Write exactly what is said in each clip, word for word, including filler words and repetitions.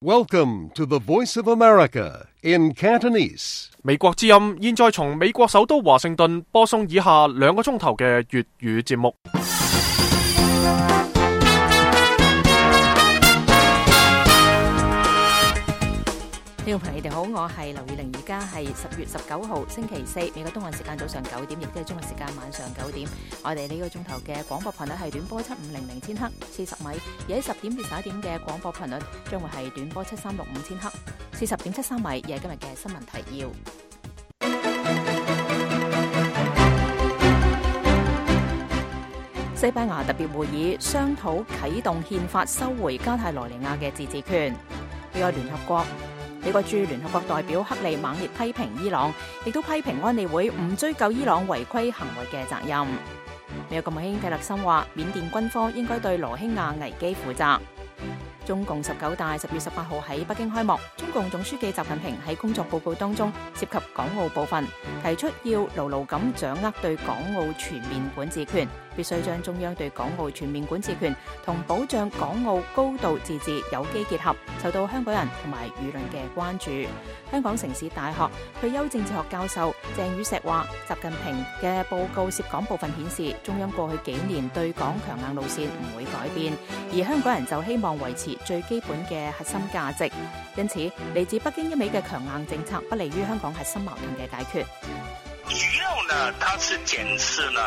Welcome to the Voice of America in Cantonese. 美國之音現在從美國首都華盛頓播送以下兩個鐘頭嘅粵語節目。聽眾朋友，你哋好，我係劉以玲，而家係十月十九號星期四，美國東岸時間早上九點，亦都係中國時間晚上九點。我哋呢個鐘頭嘅廣播頻率係短波七五零零千赫四十米，而喺十點至十一點嘅廣播頻率將會係短波七三六五千赫四十點七三米，而係今日嘅新聞提要。西班牙特別會議商討啟動憲法收回加泰羅尼亞嘅自治權。呢個聯合國美國駐聯合國代表克利猛烈批評伊朗，亦都批評安理會唔追究伊朗違規行為嘅責任。美國國務卿蒂勒森話，緬甸軍方應該對羅興亞危機負責。中共十九大十月十八號喺北京開幕，中共總書記習近平喺工作報告當中涉及港澳部分，提出要牢牢咁掌握對港澳全面管治權，必須將中央對港澳全面管治權同保障港澳高度自治有機結合，受到香港人同埋輿論嘅關注。香港城市大學退休政治學教授鄭宇碩話，習近平嘅報告涉港部分顯示，中央過去幾年對港強硬路線唔會改變，而香港人就希望維持最基本嘅核心價值，因此嚟自北京一味嘅強硬政策不利於香港核心矛盾嘅解決。主要呢，它是檢視呢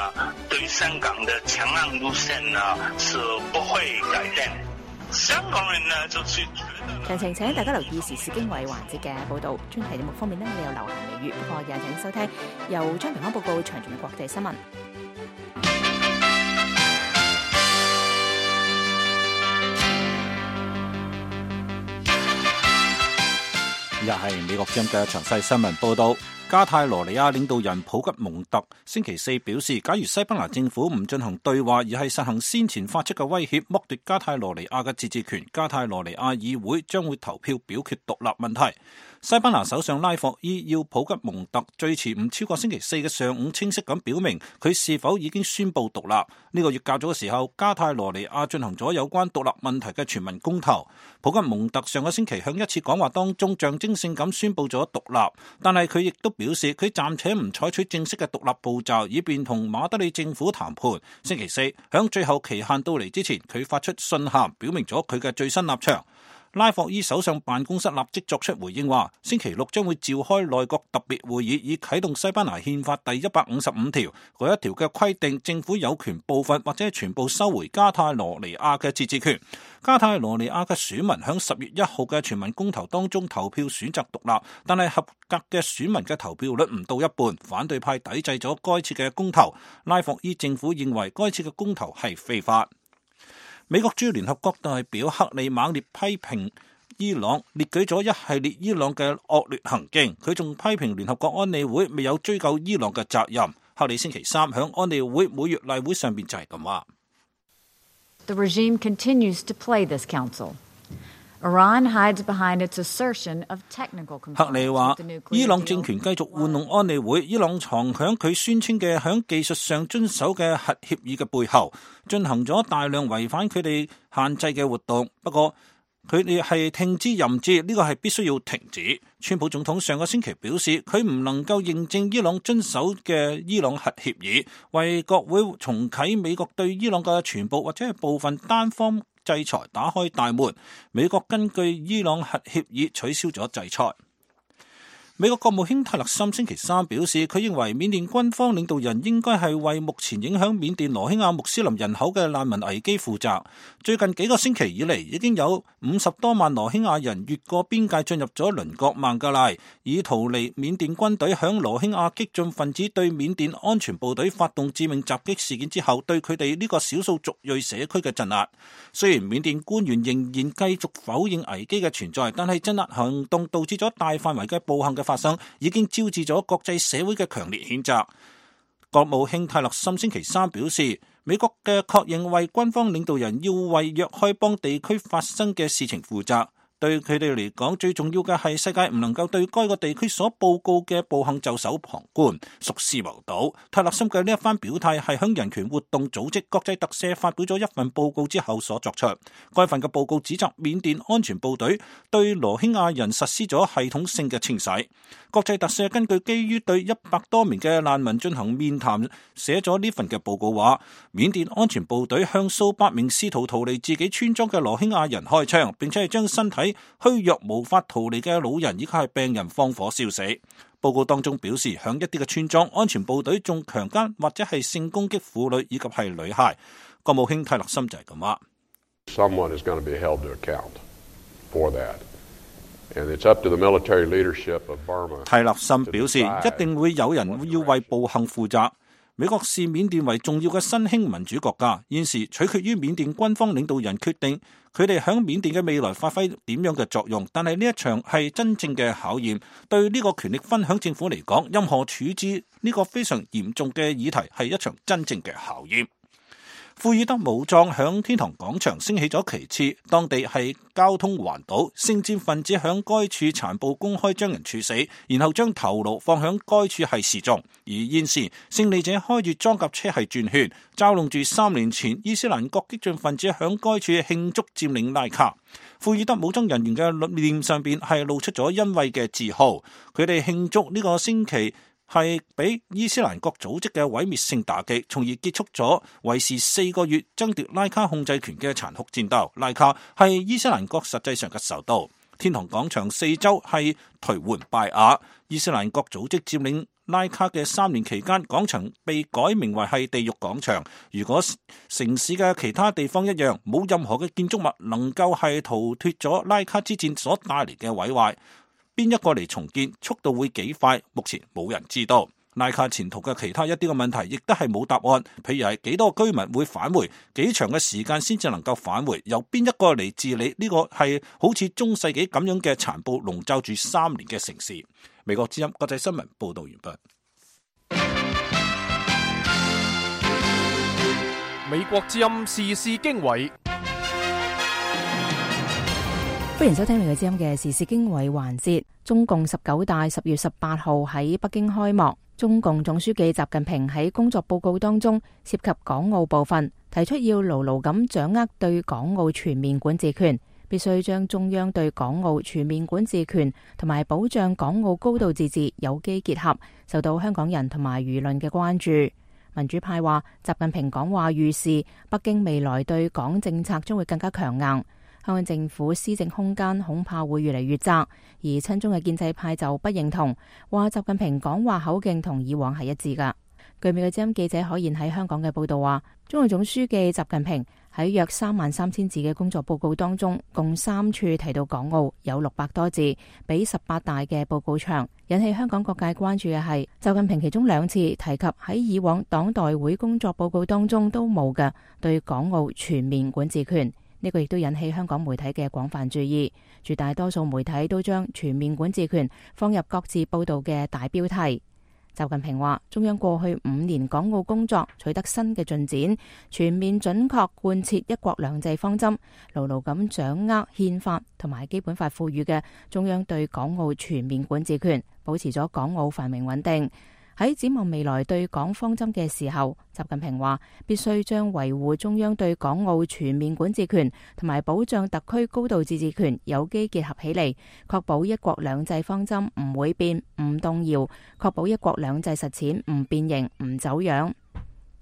對香港的強硬路線呢是不會改變。香港人呢就是詳情請大家留意時事經緯環節嘅報導。專題節目方面呢，我哋有流行美語，不過也請收聽由張平安報告詳盡嘅國際新聞。又係美國之音嘅詳細新聞報道。加泰羅尼亞領導人普吉蒙特星期四表示，假如西班牙政府唔進行對話，而係實行先前發出嘅威脅，剝奪加泰羅尼亞嘅自治權，加泰羅尼亞議會將會投票表決獨立問題。西班牙首相拉霍伊要普吉蒙特最遲唔超過星期四嘅上午清晰咁表明佢是否已經宣布獨立。呢個月較早嘅時候，加泰羅尼亞進行咗有關獨立問題嘅全民公投。普吉蒙特上個星期響一次講話當中象徵性咁宣布咗獨立，但係佢亦都表示佢暫且唔採取正式嘅獨立步驟，以便同馬德里政府談判。星期四響最後期限到嚟之前，佢發出信函表明咗佢嘅最新立場。拉霍伊首相辦公室立即作出回應，話星期六將會召開內閣特別會議，以啟動西班牙憲法第一百五十五條嗰一條嘅規定，政府有權部分或者全部收回加泰羅尼亞嘅自治權。加泰羅尼亞嘅選民響十月一號嘅全民公投當中投票選擇獨立，但係合格嘅選民嘅投票率唔到一半，反對派抵制咗該次嘅公投。拉霍伊政府認為該次嘅公投係非法。美國駐聯合國代表克里猛烈批評伊朗，列舉咗一系列伊朗嘅惡劣行徑。佢仲批評聯合國安理會未有追究伊朗嘅責任。克里星期三響安理會每月例會上邊就係咁話。The regime continues to play this council. Iran hides behind its assertion of technical compliance. 克里話，伊朗政權繼續玩弄安理會，伊朗藏響佢宣稱嘅響技術上遵守嘅核協議嘅背後，進行咗大量違反佢哋限制嘅活動。不過佢哋係聽之任之，呢個係必須要停止。川普總統上個星期表示，佢唔能夠認證伊朗遵守嘅伊朗核協議，為國會重啟美國對伊朗嘅全部或者係部分單方制裁打開大門。美國根據伊朗核協議取消咗制裁。美國國務卿泰勒森星期三表示，佢認為緬甸軍方領導人應該係為目前影響緬甸羅興亞穆斯林人口嘅難民危機負責。最近幾個星期以嚟，已經有五十多萬羅興亞人越過邊界進入咗鄰國孟加拉，以逃離緬甸軍隊響羅興亞激進分子對緬甸安全部隊發動致命襲擊事件之後，對佢哋呢個少數族裔社區嘅鎮壓。雖然緬甸官員仍然繼續否認危機嘅存在，但係鎮壓行動導致咗大範圍嘅暴行嘅發生，已經招致咗國際社會嘅強烈譴責。國務卿泰勒森星期三表示，美國嘅確認為軍方領導人要為若開邦地區發生嘅事情負責。對佢哋嚟講，最重要嘅係世界唔能夠對該個地區所報告嘅暴行袖手旁觀、熟視無睹。泰勒森嘅呢一番表態係響人權活動組織國際特赦發表咗一份報告之後所作出。該份嘅報告指責緬甸安全部隊對羅興亞人實施咗系統性嘅清洗。國際特赦根據基於對一百多名嘅難民進行面談，寫咗呢份嘅報告話，緬甸安全部隊向數百名試圖逃離自己村莊嘅羅興亞人開槍，並且係將身體虛弱無法逃離嘅老人以及係病人放火燒死。報告當中表示，響一啲嘅村莊，安全部隊仲強姦或者係性攻擊婦女以及係女孩。國務卿泰勒森就係咁話。Someone is going to be held to account for that, and it's up to the military leadership of Burma. 泰勒森表示，一定會有人要為暴行負責。美國視緬甸為重要嘅新興民主國家，現時取決於緬甸軍方領導人決定佢哋響緬甸嘅未來發揮點樣嘅作用。但係呢一場係真正嘅考驗，對呢個權力分享政府嚟講，任何處置呢個非常嚴重嘅議題係一場真正嘅考驗。庫爾德武裝響天堂廣場升起咗旗幟，當地係交通環島，聖戰分子響該處殘暴公開將人處死，然後將頭顱放響該處係示眾。而現時勝利者開住裝甲車係轉圈，嘲弄住三年前伊斯蘭國激進分子響該處慶祝佔領拉卡。庫爾德武裝人員嘅臉上邊係露出咗欣慰嘅自豪，佢哋慶祝呢個星期係俾伊斯蘭國組織嘅毀滅性打擊，從而結束咗維持四個月爭奪拉卡控制權嘅殘酷戰鬥。拉卡係伊斯蘭國實際上嘅首都，天堂廣場四周係頹垣敗瓦。伊斯蘭國組織佔領拉卡嘅三年期間，廣場被改名為係地獄廣場。如果城市嘅其他地方一樣，冇任何嘅建築物能夠係逃脫咗拉卡之戰所帶嚟嘅毀壞。邊一個嚟重建，速度會幾快？目前冇人知道。拉卡前途嘅其他一啲嘅問題，亦都係冇答案。譬如係幾多居民會返回，幾長嘅時間先至能夠返回，由邊一個嚟治理呢個係好似中世紀咁樣嘅殘暴籠罩住三年嘅城市。美國之音國際新聞報道完畢。美國之音時事經緯。歡迎收聽美國之音嘅時事經緯環節。中共十九大十月十八號喺北京開幕。中共總書記習近平喺工作報告當中涉及港澳部分，提出要牢牢咁掌握對港澳全面管治權，必須將中央對港澳全面管治權同埋保障港澳高度自治有機結合，受到香港人同埋輿論嘅關注。民主派話，習近平講話預示北京未來對港政策將會更加強硬。香港政府施政空間恐怕會越嚟越窄，而親中嘅建制派就不認同，話習近平講話口徑同以往係一致噶。據美國之音記者可言喺香港嘅報道話，中共總書記習近平喺約三萬三千字嘅工作報告當中，共三處提到港澳，有六百多字，比十八大嘅報告長。引起香港各界關注嘅係，習近平其中兩次提及喺以往黨代會工作報告當中都冇嘅對港澳全面管治權。呢個亦都引起香港媒體嘅廣泛注意，絕大多數媒體都將全面管治權放入各自報道嘅大標題。習近平話，中央過去五年港澳工作取得新嘅進展，全面準確貫徹一國兩制方針，牢牢咁掌握憲法同埋基本法賦予嘅中央對港澳全面管治權，保持咗港澳繁榮穩定。喺展望未來對港方針嘅時候，習近平話必須將維護中央對港澳全面管治權同埋保障特區高度自治權有機結合起嚟，確保一國兩制方針唔會變、唔動搖，確保一國兩制實踐唔變形、唔走樣。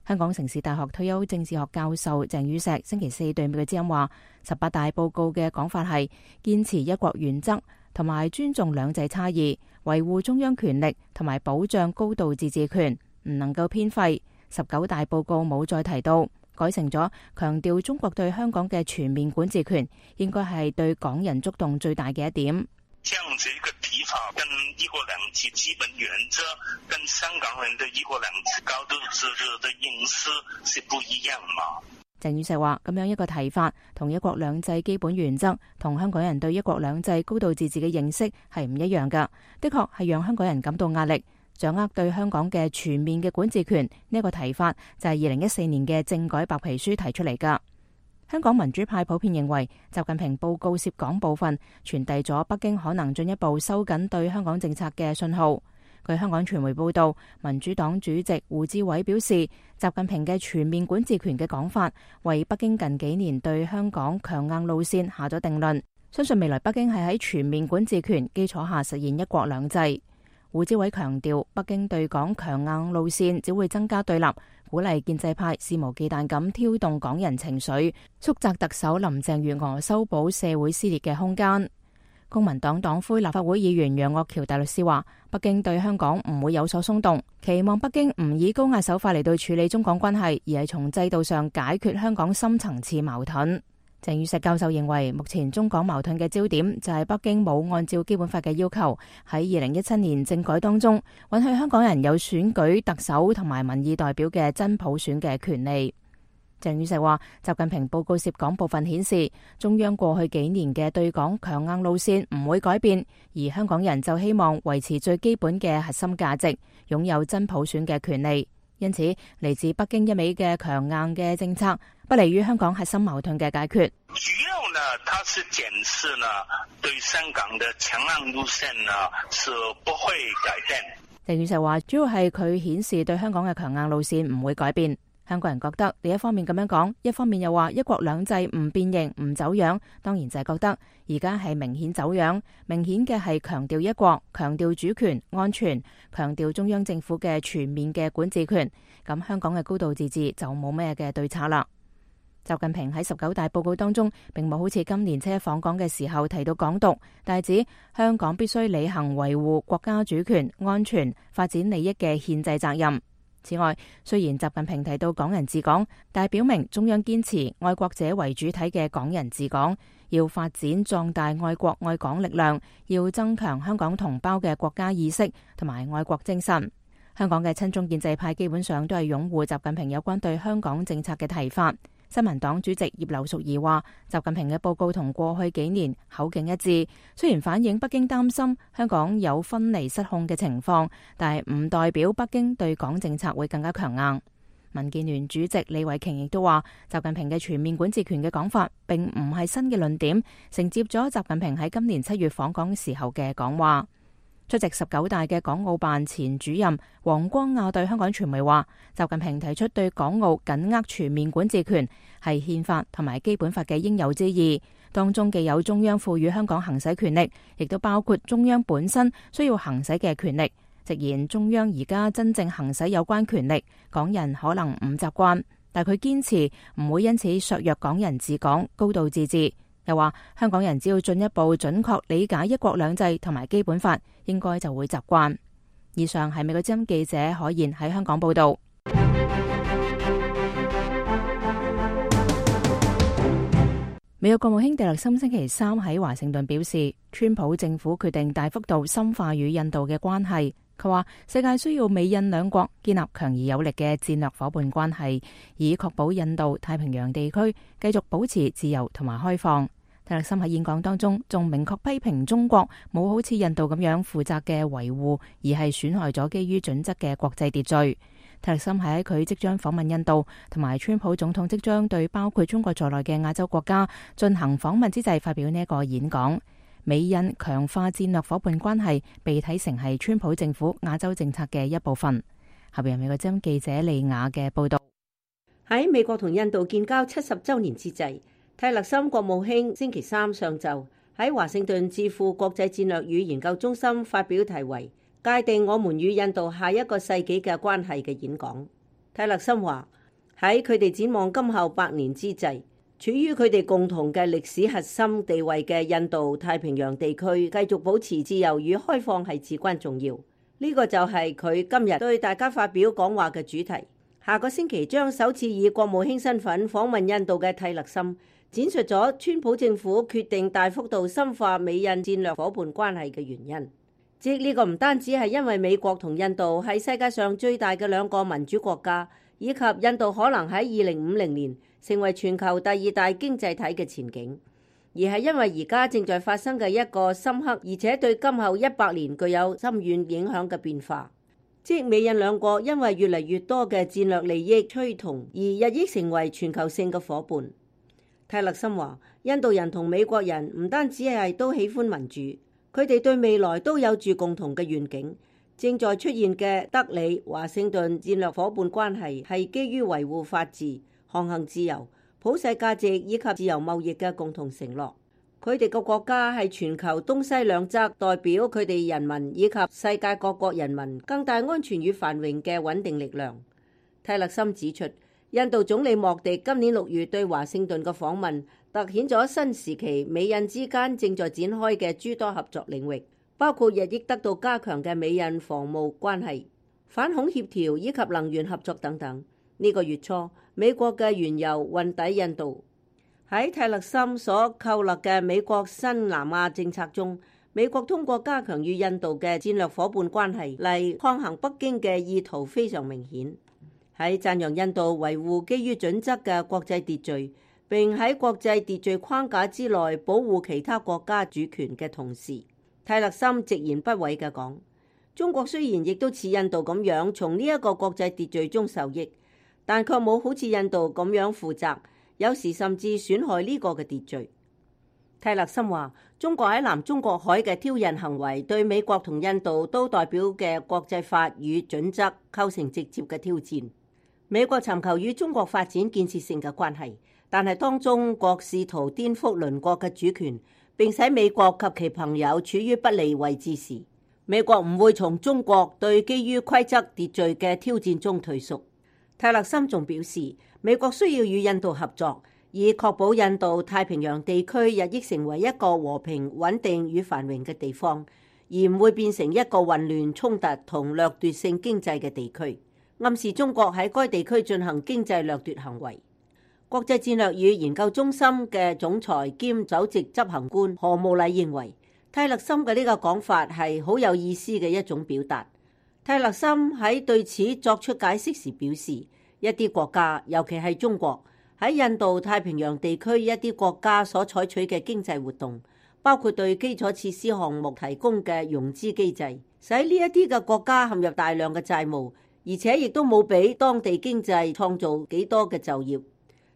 香港城市大學退休政治學教授鄭宇碩星期四對美國之音話，十八大報告嘅講法係堅持一國原則同埋尊重兩制差異，維護中央權力同埋保障高度自治權，唔能夠偏廢。十九大報告冇再提到，改成咗強調中國對香港嘅全面管治權，應該係對港人觸動最大嘅一點。這樣子一個提法，跟一國兩制基本原則，跟香港人的一國兩制高度自治的認識是不一樣嘛？鄭宇碩話：咁樣一個提法，同一國兩制基本原則同香港人對一國兩制高度自治嘅認識係唔一樣噶。的確係讓香港人感到壓力。掌握對香港嘅全面嘅管治權呢一個提法，就係二零一四年嘅政改白皮書提出嚟噶。香港民主派普遍認為，習近平報告涉港部分傳遞咗北京可能進一步收緊對香港政策嘅信號。據香港傳媒報道，民主黨主席胡志偉表示，習近平嘅全面管治權嘅講法，為北京近幾年對香港強硬路線下咗定論。相信未來北京係喺全面管治權基礎下實現一國兩制。胡志偉強調，北京對港強硬路線只會增加對立，鼓勵建制派肆無忌憚咁挑動港人情緒，縮窄特首林鄭月娥修補社會撕裂嘅空間。公民黨黨魁立法會議員楊岳橋大律師話，北京對香港唔會有所鬆動，期望北京唔以高壓手法嚟到處理中港關係，而係從制度上解決香港深層次矛盾。鄭宇碩教授認為，目前中港矛盾嘅焦點就係北京冇按照基本法嘅要求，喺二零一七年政改當中允許香港人有選舉特首同埋民意代表嘅真普選嘅權利。鄭宇碩話，習近平報告涉港部分顯示，中央過去幾年嘅對港強硬路線唔會改變，而香港人就希望維持最基本嘅核心價值，擁有真普選嘅權利。因此，嚟自北京一味嘅強硬嘅政策，不利於香港核心矛盾嘅解決。主要呢，它是檢視呢對香港的強硬路線呢是不會改變。鄭宇碩話，主要係佢顯示對香港嘅強硬路線唔會改變。香港人覺得你一方面咁樣講，一方面又話一國兩制唔變形唔走樣，當然就係覺得而家係明顯走樣，明顯嘅係強調一國，強調主權安全，強調中央政府嘅全面嘅管治權，咁香港嘅高度自治就冇咩嘅對策啦。習近平喺十九大報告當中並冇好似今年七一訪港嘅時候提到港獨，但係指香港必須履行維護國家主權安全發展利益嘅憲制責任。此外，雖然習近平提到港人治港，但係表明中央堅持愛國者為主體嘅港人治港，要發展壯大愛國愛港力量，要增強香港同胞嘅國家意識同埋愛國精神。香港嘅親中建制派基本上都係擁護習近平有關對香港政策嘅提法。新民黨主席葉劉淑儀話，習近平嘅報告同過去幾年口徑一致，雖然反映北京擔心香港有分離失控嘅情況，但係唔代表北京對港政策會更加強硬。民建聯主席李慧瓊亦都話，習近平嘅全面管治權嘅講法並唔係新嘅論點，承接咗習近平喺今年七月訪港時候嘅講話。出席十九大嘅港澳辦前主任黃光亞對香港傳媒話，習近平提出對港澳緊握全面管治權係憲法同埋基本法嘅應有之義，當中既有中央賦予香港行使權力，亦都包括中央本身需要行使嘅權力。直言中央而家真正行使有關權力，港人可能唔習慣，但佢堅持唔會因此削弱港人治港高度自治。又話香港人只要進一步準確理解一國兩制同埋基本法，應該就會習慣。以上係美國之音記者海燕喺香港報道。美國國務卿蒂勒森星期三喺華盛頓表示，川普政府決定大幅度深化與印度嘅關係。佢話世界需要美印兩國建立強而有力嘅戰略夥伴關係，以確保印度太平洋地區繼續保持自由同埋開放。蒂勒森喺演講當中仲明確批評中國冇好似印度咁樣負責嘅維護，而係損害咗基於準則嘅國際秩序。蒂勒森喺佢即將訪問印度，同埋川普總統即將對包括中國在內嘅亞洲國家進行訪問之際發表呢一個演講。美印強化戰略夥伴關係被睇成係川普政府亞洲政策嘅一部分。下邊由美國之音記者利亞嘅報道。喺美國同印度建交七十週年之際，蒂勒森國務卿星期三上晝喺華盛頓智庫國際戰略與研究中心發表題為《界定我們與印度下一個世紀嘅關係》嘅演講。蒂勒森話，喺佢哋展望今後百年之際，處於佢哋共同嘅歷史核心地位嘅印度太平洋地區繼續保持自由與開放係至關重要。呢個就係佢今日對大家發表講話嘅主題。下個星期將首次以國務卿身份訪問印度嘅蒂勒森展述咗川普政府決定大幅度深化美印戰略夥伴關係嘅原因。即呢個唔單止係因為美國同印度係世界上最大嘅兩個民主國家，以及印度可能喺二零五零年成為全球第二大經濟體嘅前景，而係因為而家正在發生嘅一個深刻而且對今後一百年具有深遠影響嘅變化。即美印兩國因為越嚟越多嘅戰略利益趨同而日益成為全球性嘅夥伴。泰勒森話，印度人同美國人唔單止係都喜歡民主，佢哋對未來都有住共同嘅願景。正在出現嘅德里華盛頓戰略夥伴關係係基於維護法治、航行自由、普世價值以及自由貿易嘅共同承諾。佢哋個國家係全球東西兩側代表佢哋人民以及世界各國人民更大安全與繁榮嘅穩定力量。泰勒森指出，印度總理莫迪今年六月對華盛頓嘅訪問，凸顯咗新時期美印之間正在展開嘅諸多合作領域，包括日益得到加強嘅美印防務關係、反恐協調以及能源合作等等。呢、這個月初，美國嘅原油運抵印度。喺泰勒森所構立嘅美國新南亞政策中，美國通過加強與印度嘅戰略夥伴關係嚟抗衡北京嘅意圖非常明顯。喺讚揚印度維護基於準則嘅國際秩序，並喺國際秩序框架之內保護其他國家主權嘅同時，泰勒森直言不諱嘅講，中國雖然亦都似印度咁樣從呢一個國際秩序中受益，但卻冇好似印度咁樣負責，有時甚至損害呢個嘅秩序。泰勒森話，中國喺南中國海嘅挑釁行為對美國同印度都代表嘅國際法與準則構成直接嘅挑戰。美國尋求與中國發展建設性嘅關係，但係當中國試圖顛覆鄰國嘅主權，並使美國及其朋友處於不利位置時，美國唔會從中國對基於規則秩序嘅挑戰中退縮。泰勒森仲表示，美國需要與印度合作，以確保印度太平洋地區日益成為一個和平、穩定與繁榮嘅地方，而唔會變成一個混亂、衝突同掠奪性經濟嘅地區，暗示中國喺該地區進行經濟掠奪行為。國際戰略與研究中心嘅總裁兼首席執行官何慕禮認為，泰勒森嘅呢個講法係好有意思嘅一種表達。泰勒森喺對此作出解釋時表示，一啲國家，尤其係中國，喺印度太平洋地區一啲國家所採取嘅經濟活動，包括對基礎設施項目提供嘅融資機制，使呢一啲嘅國家陷入大量嘅債務，而且亦都冇俾當地經濟創造幾多嘅就業。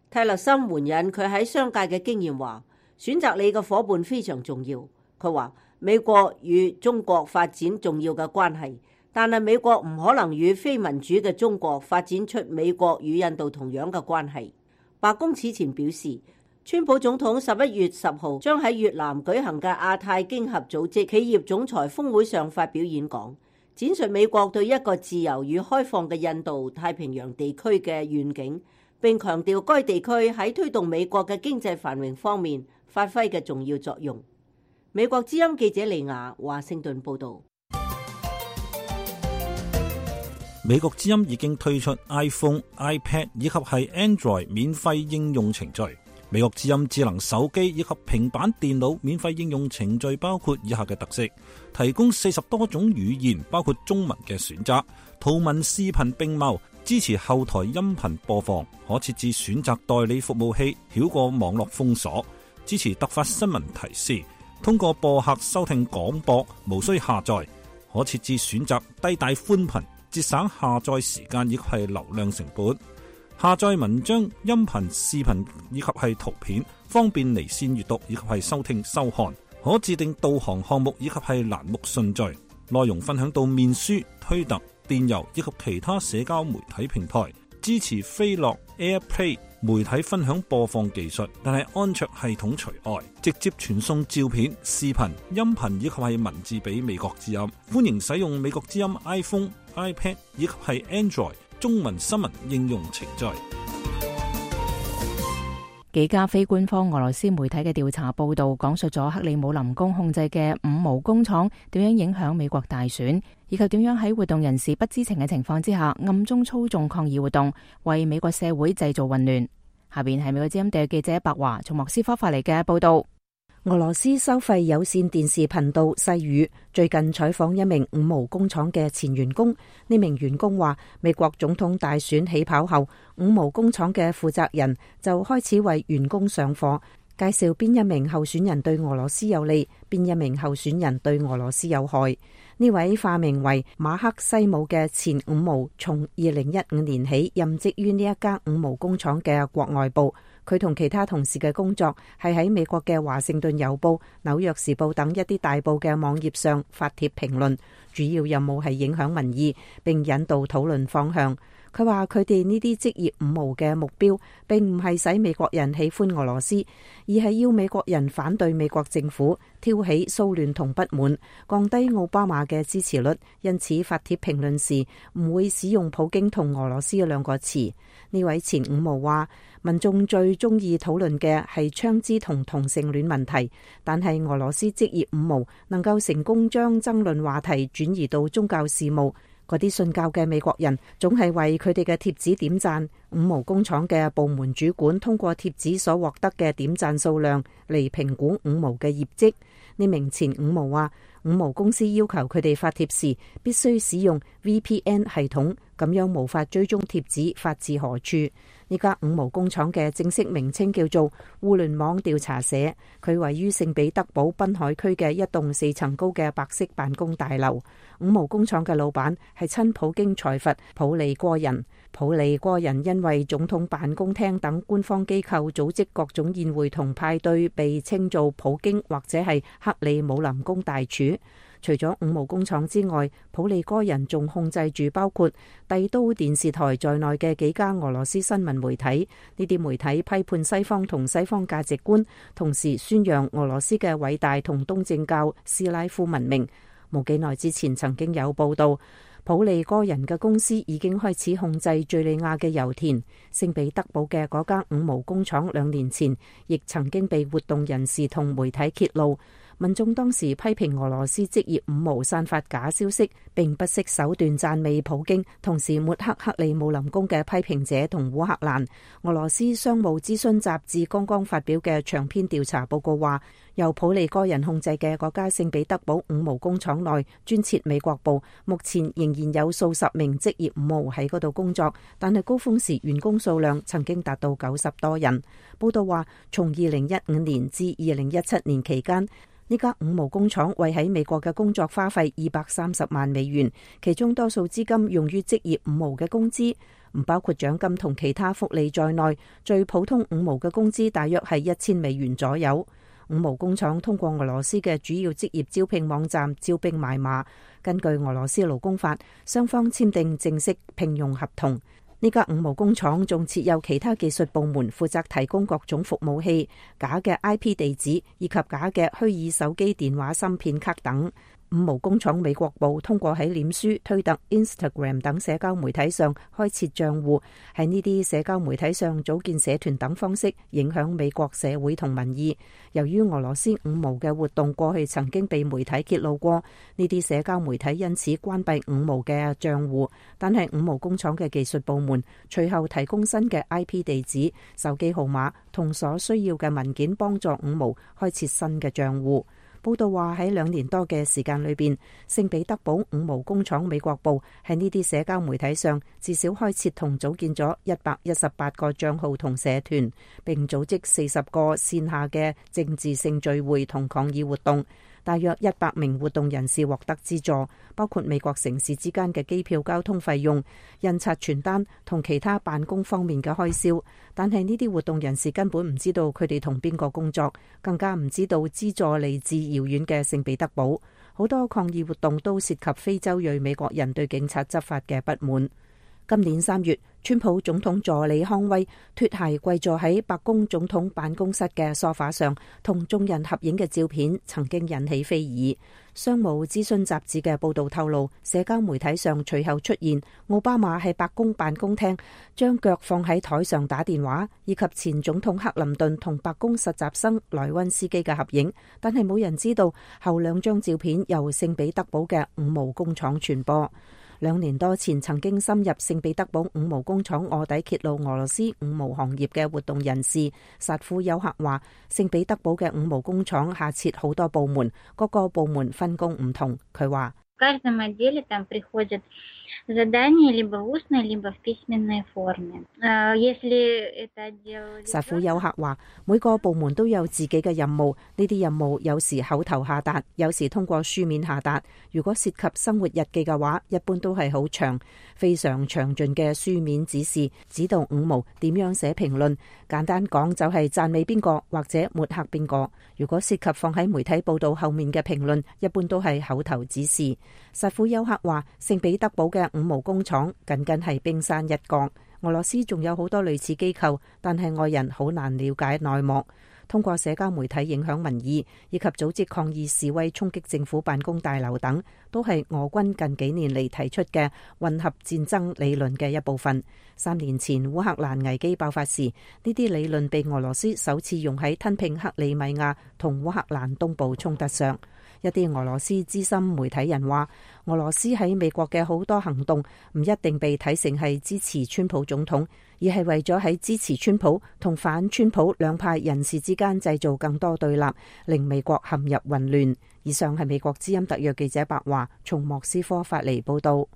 泰勒森援引佢喺商界嘅經驗話，選擇你嘅夥伴非常重要。佢話美國與中國發展重要嘅關係，但係美國唔可能與非民主嘅中國發展出美國與印度同樣嘅關係。白宮此前表示，川普總統十一月十號將喺越南舉行嘅亞太經合組織企業總裁峰會上發表演講，展述美國對一個自由與開放嘅印度太平洋地區嘅願景，並強調該地區喺推動美國嘅經濟繁榮方面發揮嘅重要作用。美國之音記者李雅華盛頓報道。美國之音已經推出 iPhone、iPad 以及係 Android 免費應用程序。美國之音智能手機以及平板電腦免費應用程序包括以下嘅特色：提供四十多種語言，包括中文嘅選擇，圖文視頻並茂，支持後台音頻播放，可設置選擇代理服務器，繞過網絡封鎖，支持突發新聞提示，通過播客收聽廣播，無需下載，可設置選擇低帶寬頻，節省下載時間以及係流量成本，下載文章、音頻、視頻以及係圖片，方便離線閱讀以及係收聽收看，可自定導航項目以及係欄目順序，內容分享到面書、推特、電郵以及其他社交媒體平台，支持飛樂 AirPlay 媒體分享播放技術，但係安卓系統除外，直接傳送照片、視頻、音頻以及係文字俾美國之音。歡迎使用美國之音 iPhone、iPad 以及係 Android 中文新聞應用程序。幾家非官方俄羅斯媒體嘅調查報道，講述咗克里姆林宮控制嘅五毛工廠點樣影響美國大選，以及點樣喺活動人士不知情嘅情況之下暗中操縱抗議活動，為美國社會製造混亂。下邊係美國之音特約記者白華從莫斯科發嚟嘅報道。俄羅斯收費有線電視頻道細語最近採訪一名五毛工廠嘅前員工，呢名員工話，美國總統大選起跑後，五毛工廠嘅負責人就開始為員工上課，介紹邊一名候選人對俄羅斯有利，邊一名候選人對俄羅斯有害。呢位化名為馬克西姆嘅前五毛，從二零一五年起任職於呢一家五毛工廠嘅國外部。佢同其他同事嘅工作係喺美國嘅華盛頓郵報、紐約時報等一啲大報嘅網頁上發帖評論，主要任務係影響民意並引導討論方向。佢話佢哋呢啲職業五毛嘅目標並唔係使美國人喜歡俄羅斯，而係要美國人反對美國政府，挑起騷亂同不滿，降低奧巴馬嘅支持率。因此發帖評論時唔會使用普京同俄羅斯兩個詞。呢位前五毛話，民眾最中意討論嘅係槍支同同性戀問題，但係俄羅斯職業五毛能夠成功將爭論話題轉移到宗教事務。嗰啲信教嘅美國人總係為佢哋嘅貼紙點讚。五毛工廠嘅部門主管通過貼紙所獲得嘅點讚數量嚟評估五毛嘅業績。呢名前五毛話，五毛公司要求佢哋發帖時必須使用 V P N 系統，咁樣無法追蹤貼紙發自何處。呢家五毛工廠嘅正式名稱叫做互聯網調查社，佢位於聖彼得堡濱海區嘅一棟四層高嘅白色辦公大樓。五毛工廠嘅老闆係親普京財閥普利戈人。普利戈人因為總統辦公廳等官方機構組織各種宴會同派對，被稱做普京或者係克里姆林宮大廚。除咗五毛工廠之外，普利戈人仲控制住包括帝都電視台在內嘅幾家俄羅斯新聞媒體。呢啲媒體批判西方同西方價值觀，同時宣揚俄羅斯嘅偉大同東正教斯拉夫文明。冇幾耐之前曾經有報道，普利戈人嘅公司已經開始控制敘利亞嘅油田。聖彼得堡嘅嗰間五毛工廠兩年前亦曾經被活動人士同媒體揭露。民眾當時批評俄羅斯職業五毛散發假消息，並不惜手段讚美普京，同時抹黑克里姆林宮嘅批評者同烏克蘭。俄羅斯商務諮詢雜誌剛剛發表嘅長篇調查報告話，由普利戈人控制嘅嗰家聖彼得堡五毛工廠內專設美國部，目前仍然有數十名職業五毛喺嗰度工作，但係高峰時員工數量曾經達到九十多人。報道話，從二零一五年至二零一七年期間，呢家五毛工廠為喺美國嘅工作花費二百三十萬美元，其中多數資金用於職業五毛嘅工資，唔包括獎金同其他福利在內。最普通五毛嘅工資大約係一千美元左右。五毛工廠通過俄羅斯嘅主要職業招聘網站招兵買馬，根據俄羅斯勞工法，雙方簽訂正式聘用合同。呢家五毛工廠仲設有其他技術部門，負責提供各種服務器、假嘅 I P 地址以及假嘅虛擬手機電話芯片卡等。五毛工廠美國部通過喺臉書、推特、Instagram 等社交媒體上開設賬戶，喺呢啲社交媒體上組建社團等方式影響美國社會同民意。由於俄羅斯五毛嘅活動過去曾經被媒體揭露過，呢啲社交媒體因此關閉五毛嘅賬戶，但係五毛工廠嘅技術部門隨後提供新嘅 I P 地址、手機號碼同所需要嘅文件，幫助五毛開設新嘅賬戶。報道話喺兩年多嘅時間裏邊，聖彼得堡五毛工廠美國部喺呢啲社交媒體上至少開設同組建咗一百一十八個賬號同社團，並組織四十個線下嘅政治性聚會同抗議活動。大約一百名活動人士獲得資助，包括美國城市之間嘅機票交通費用、印刷傳單同其他辦公方面嘅開銷。但係呢啲活動人士根本唔知道佢哋同邊個工作，更加唔知道資助嚟自遙遠嘅聖彼得堡。好多抗議活動都涉及非洲裔美國人對警察執法嘅不滿。今年三月，川普總統助理康威脫鞋跪坐喺白宮總統辦公室嘅梳化上同眾人合影嘅照片曾經引起非議。商務諮詢雜誌嘅報道透露，社交媒體上隨後出現奧巴馬喺白宮辦公廳將腳放喺台上打電話，以及前總統克林頓同白宮實習生萊溫斯基嘅合影，但係冇人知道後兩張照片由聖彼得堡嘅五毛工廠傳播。兩年多前曾經深入聖彼得堡五毛工廠臥底揭露俄羅斯五毛行業嘅活動人士薩夫丘克話，聖彼得堡嘅五毛工廠下設好多部門，各個部門分工唔同。佢話薩庫丘克話，每個部門都有自己嘅任務，呢啲任務有時口頭下達，有時通過書面下達。如果涉及生活日記嘅話，一般都係好長，非常詳盡嘅書面指示，指導五毛點樣寫評論。簡單講就係讚美邊個或者抹黑邊個。如果涉及放喺媒體報道後面嘅評論，一般都係口頭指示。薩庫丘克話，聖彼得堡嘅五毛工廠僅僅係冰山一角。俄羅斯仲有好多類似機構，但係外人好難了解內幕。通過社交媒體影響民意，以及組織抗議示威、衝擊政府辦公大樓等，都係俄軍近幾年嚟提出嘅混合戰爭理論嘅一部分。三年前烏克蘭危機爆發時，呢啲理論被俄羅斯首次用喺吞併克里米亞同烏克蘭東部衝突上。一啲俄羅斯資深媒體人話，俄羅斯喺美國嘅好多行動唔一定被睇成係支持川普總統，而係為咗喺支持川普同反川普兩派人士之間製造更多對立，令美國陷入混亂。以上係美國之音特約記者白華從莫斯科發嚟報道。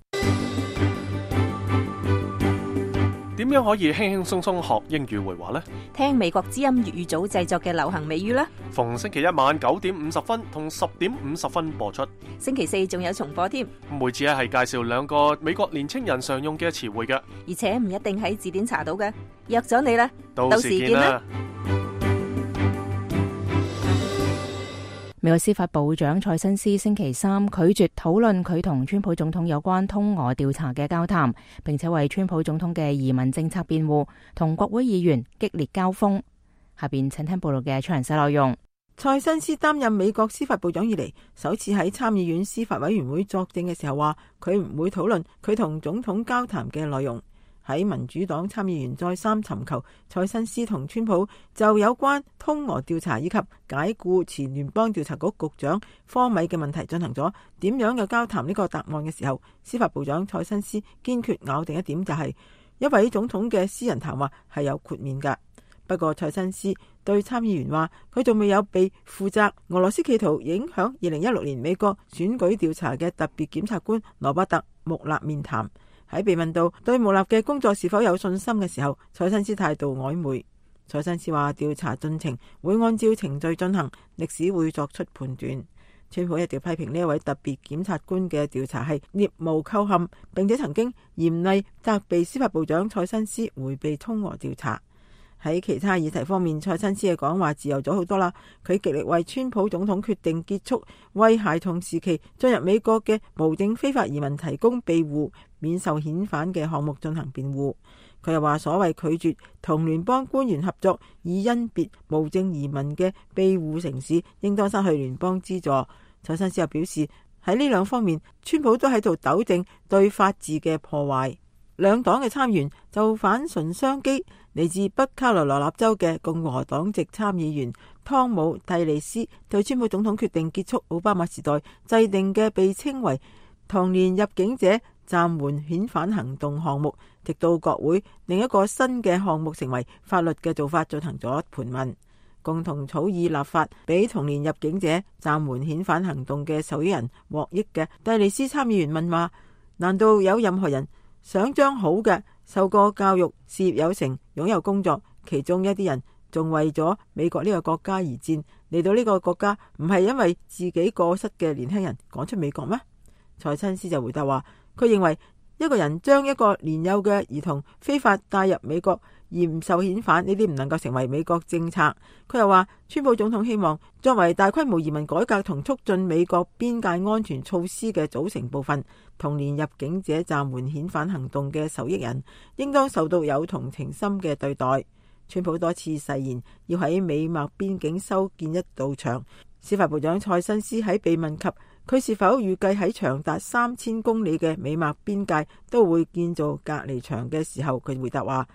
點樣可以輕輕鬆鬆學英語會話呢？聽美國之音粵語組製作嘅流行美語啦！逢星期一晚九點五十分同十點五十分播出，星期四仲有重播添。每次係介紹兩個美國年青人常用嘅詞彙嘅，而且唔一定喺字典查到嘅。約咗你啦，到時見啦！美國司法部長蔡新斯星期三拒絕討論佢同川普總統有關通俄調查嘅交談，並且為川普總統嘅移民政策辯護，同國會議員激烈交鋒。下邊請聽報道嘅詳細內容。蔡新斯擔任美國司法部長以嚟，首次喺參議院司法委員會作證嘅時候話，佢唔會討論佢同總統交談嘅內容。喺民主黨參議員再三尋求蔡新斯同川普就有關通俄調查以及解僱前聯邦調查局局長科米嘅問題進行咗點樣嘅交談呢個答案嘅時候，司法部長蔡新斯堅決咬定一點，就係一位總統嘅私人談話係有豁免㗎。不過蔡新斯對參議員話，佢仲未有被負責俄羅斯企圖影響二零一六年美國選舉調查嘅特別檢察官羅伯特穆勒面談。喺被問到對穆勒嘅工作是否有信心嘅時候，蔡新斯態度曖昧。蔡新斯話，調查進程會按照程序進行，歷史會作出判斷。川普一直批評呢一位特別檢察官嘅調查係聶無構陷，並且曾經嚴厲責備司法部長蔡新斯迴避通俄調查。喺其他議題方面，蔡新斯嘅講話自由咗好多啦。佢極力為川普總統決定結束為孩童時期進入美國嘅無證非法移民提供庇護免受遣返嘅項目進行辯護。佢又話，所謂拒絕同聯邦官員合作以甄別無證移民嘅庇護城市，應當失去聯邦資助。蔡新斯又表示，喺呢兩方面，川普都喺度糾正對法治嘅破壞。兩黨嘅參議員就反唇相譏，嚟自北卡羅來納州嘅共和黨籍參議員湯姆蒂利斯對川普總統決定結束奧巴馬時代制定嘅被稱為童年入境者暫緩遣返行動項目，直到國會另一個新嘅項目成為法律嘅做法進行咗盤問，共同草擬立法俾童年入境者暫緩遣返行動嘅受益人獲益嘅蒂利斯參議員問話，難道有任何人想將好嘅受過教育、事業有成、擁有工作，其中一啲人仲為咗美國呢個國家而戰，嚟到呢個國家唔係因為自己過失嘅年輕人趕出美國咩？蔡新斯就回答話，佢認為一個人將一個年幼嘅兒童非法帶入美國而唔受遣返，呢啲唔能夠成為美國政策。佢又話，川普總統希望作為大規模移民改革同促進美國邊界安全措施嘅組成部分，童年入境者暫緩遣返行動嘅受益人應當受到有同情心嘅對待。川普多次誓言要喺美墨邊境修建一道牆。司法部長蔡新斯喺被問及佢是否預計喺長達三千公里嘅美墨邊界都會建造隔離牆嘅時候，佢回答話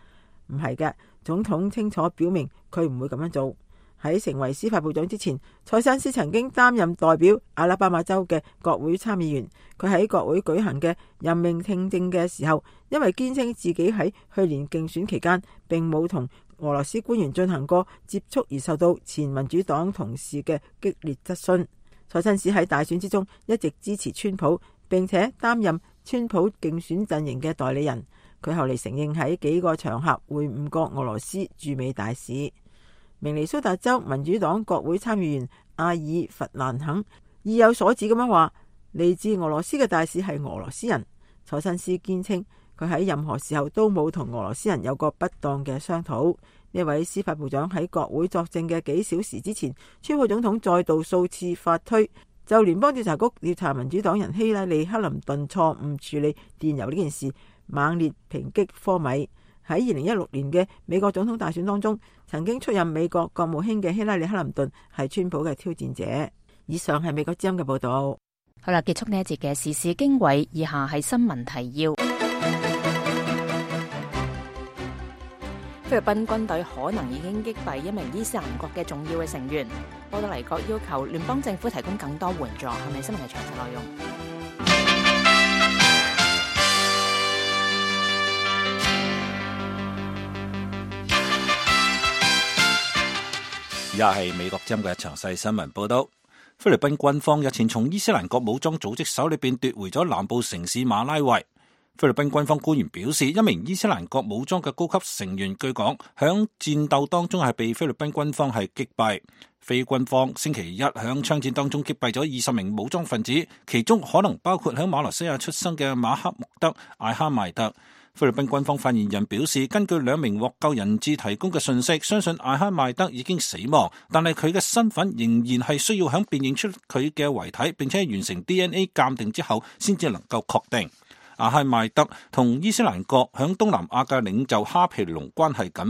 唔係嘅，總統清楚表明佢唔會咁樣做。喺成為司法部長之前，蔡新斯曾經擔任代表阿拉巴馬州嘅國會參議員。佢喺國會舉行嘅任命聽證嘅時候，因為堅稱自己喺去年競選期間並冇同俄羅斯官員進行過接觸而受到前民主黨同事嘅激烈質詢。蔡新斯喺大選之中一直支持川普，並且擔任川普競選陣營嘅代理人。佢後嚟承認喺幾個場合會晤過俄羅斯駐美大使。明尼蘇達州民主黨國會參議員阿爾弗蘭肯意有所指咁樣話，嚟自俄羅斯嘅大使係俄羅斯人。楚新斯堅稱佢喺任何時候都冇同俄羅斯人有過不當嘅商討。呢位司法部長喺國會作證嘅幾小時之前，川普總統再度數次發推就聯邦調查局調查民主黨人希拉里克林頓錯誤處理電郵呢件事猛烈抨擊科米。喺二零一六年嘅美國總統大選當中，曾經出任美國國務卿嘅希拉里克林頓係川普嘅挑戰者。以上係美國之音嘅報道。好啦，結束呢一節嘅時事經緯，以下係新聞提要。菲律賓軍隊可能已經擊斃一名伊斯蘭國嘅重要嘅成員。波多黎各要求聯邦政府提供更多援助。係咪新聞嘅詳細內容？而家係美國之音嘅詳細新聞報道。菲律賓軍方日前從伊斯蘭國武裝組織手裏邊奪回咗南部城市馬拉維。菲律賓軍方官員表示，一名伊斯蘭國武裝嘅高級成員據講響戰鬥當中係被菲律賓軍方係擊斃。菲軍方星期一響槍戰當中擊斃咗二十名武裝分子，其中可能包括響馬來西亞出生嘅馬克穆德艾哈邁特。菲律賓軍方發言人表示，根據兩名獲救人質提供嘅信息，相信艾哈邁德已經死亡，但係佢嘅身份仍然係需要響辨認出佢嘅遺體，並且完成 D N A 鑑定之後，先至能夠確定。艾哈邁德同伊斯蘭國響東南亞嘅領袖哈皮龍關係緊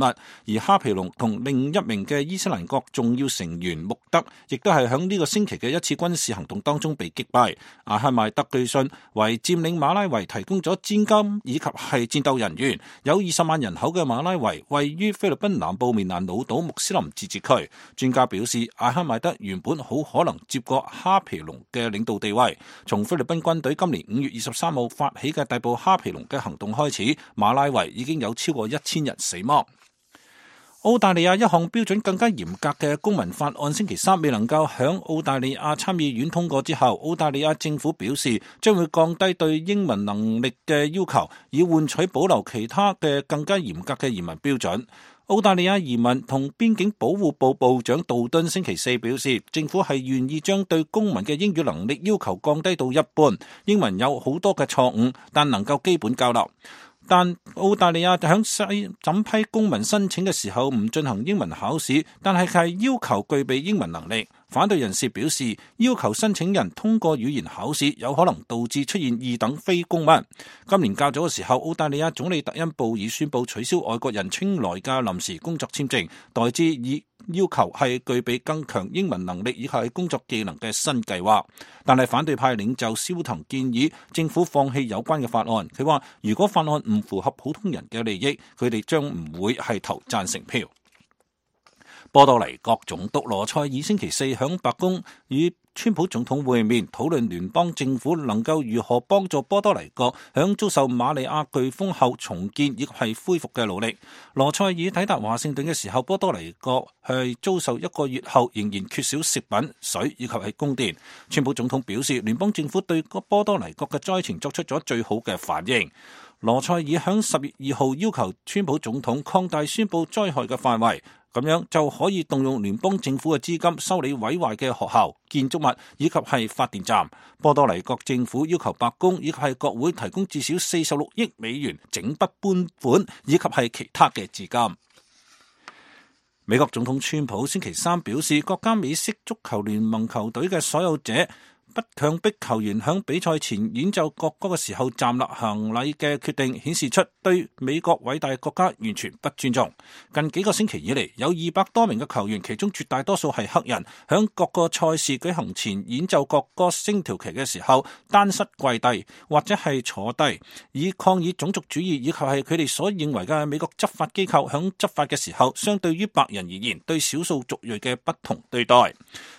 密，而哈皮龍同另一名嘅伊斯蘭國重要成員穆德，亦都係響呢個星期嘅一次軍事行動當中被擊斃。艾哈邁德據信為佔領馬拉維提供咗資金以及係戰鬥人員。有二十萬人口嘅馬拉維位於菲律賓南部棉蘭老島穆斯林自治區。專家表示，艾哈邁德原本好可能接過哈皮龍嘅領導地位。從菲律賓軍隊今年五月二十三號發起嘅逮捕哈皮龍嘅行動開始，馬拉維已經有超過一千人死亡。澳大利亞一項標準更加嚴格嘅公民法案星期三未能夠響澳大利亞參議院通過之後，澳大利亞政府表示將會降低對英文能力嘅要求，以換取保留其他嘅更加嚴格嘅移民標準。澳大利亞移民同邊境保護部部長杜敦星期四表示，政府係願意將對公民嘅英語能力要求降低到一半。英文有好多嘅錯誤，但能夠基本交流。但澳大利亞響審批公民申請嘅時候唔進行英文考試，但係係要求具備英文能力。反對人士表示，要求申請人通過語言考試有可能導致出現二等非公民。今年較早嘅時候，澳大利亞總理特恩布爾宣布取消外國人稱來嘅臨時工作簽證，代之以要求係具備更強英文能力以及係工作技能嘅新計劃。但係反對派領袖蕭騰建議政府放棄有關嘅法案。佢話如果法案唔符合普通人嘅利益，佢哋將唔會係投贊成票。波多黎各總督羅塞爾星期四響白宮與川普總統會面，討論聯邦政府能夠如何幫助波多黎各響遭受馬里亞颶風後重建亦係恢復嘅努力。羅塞爾抵達華盛頓嘅時候，波多黎各係遭受一個月後仍然缺少食品、水以及係供電。川普總統表示，聯邦政府對波多黎各嘅災情作出咗最好嘅反應。羅塞爾響十月二號要求川普總統擴大宣布災害嘅範圍，咁樣就可以動用聯邦政府嘅資金修理毀壞嘅學校、建築物以及係發電站。波多黎各政府要求白宮以及係國會提供至少四十六億美元整筆搬款以及係其他嘅資金。美國總統川普星期三表示，國家美式足球聯盟球隊嘅所有者不強迫球員響比賽前演奏國歌嘅時候站立行禮嘅決定，顯示出對美國偉大國家完全不尊重。近幾個星期以嚟，有二百多名嘅球員，其中絕大多數係黑人，響各個賽事舉行前演奏國歌升條旗嘅時候，單膝跪低或者係坐低，以抗議種族主義以及係佢哋所認為嘅美國執法機構響執法嘅時候，相對於白人而言對少數族裔嘅不同對待。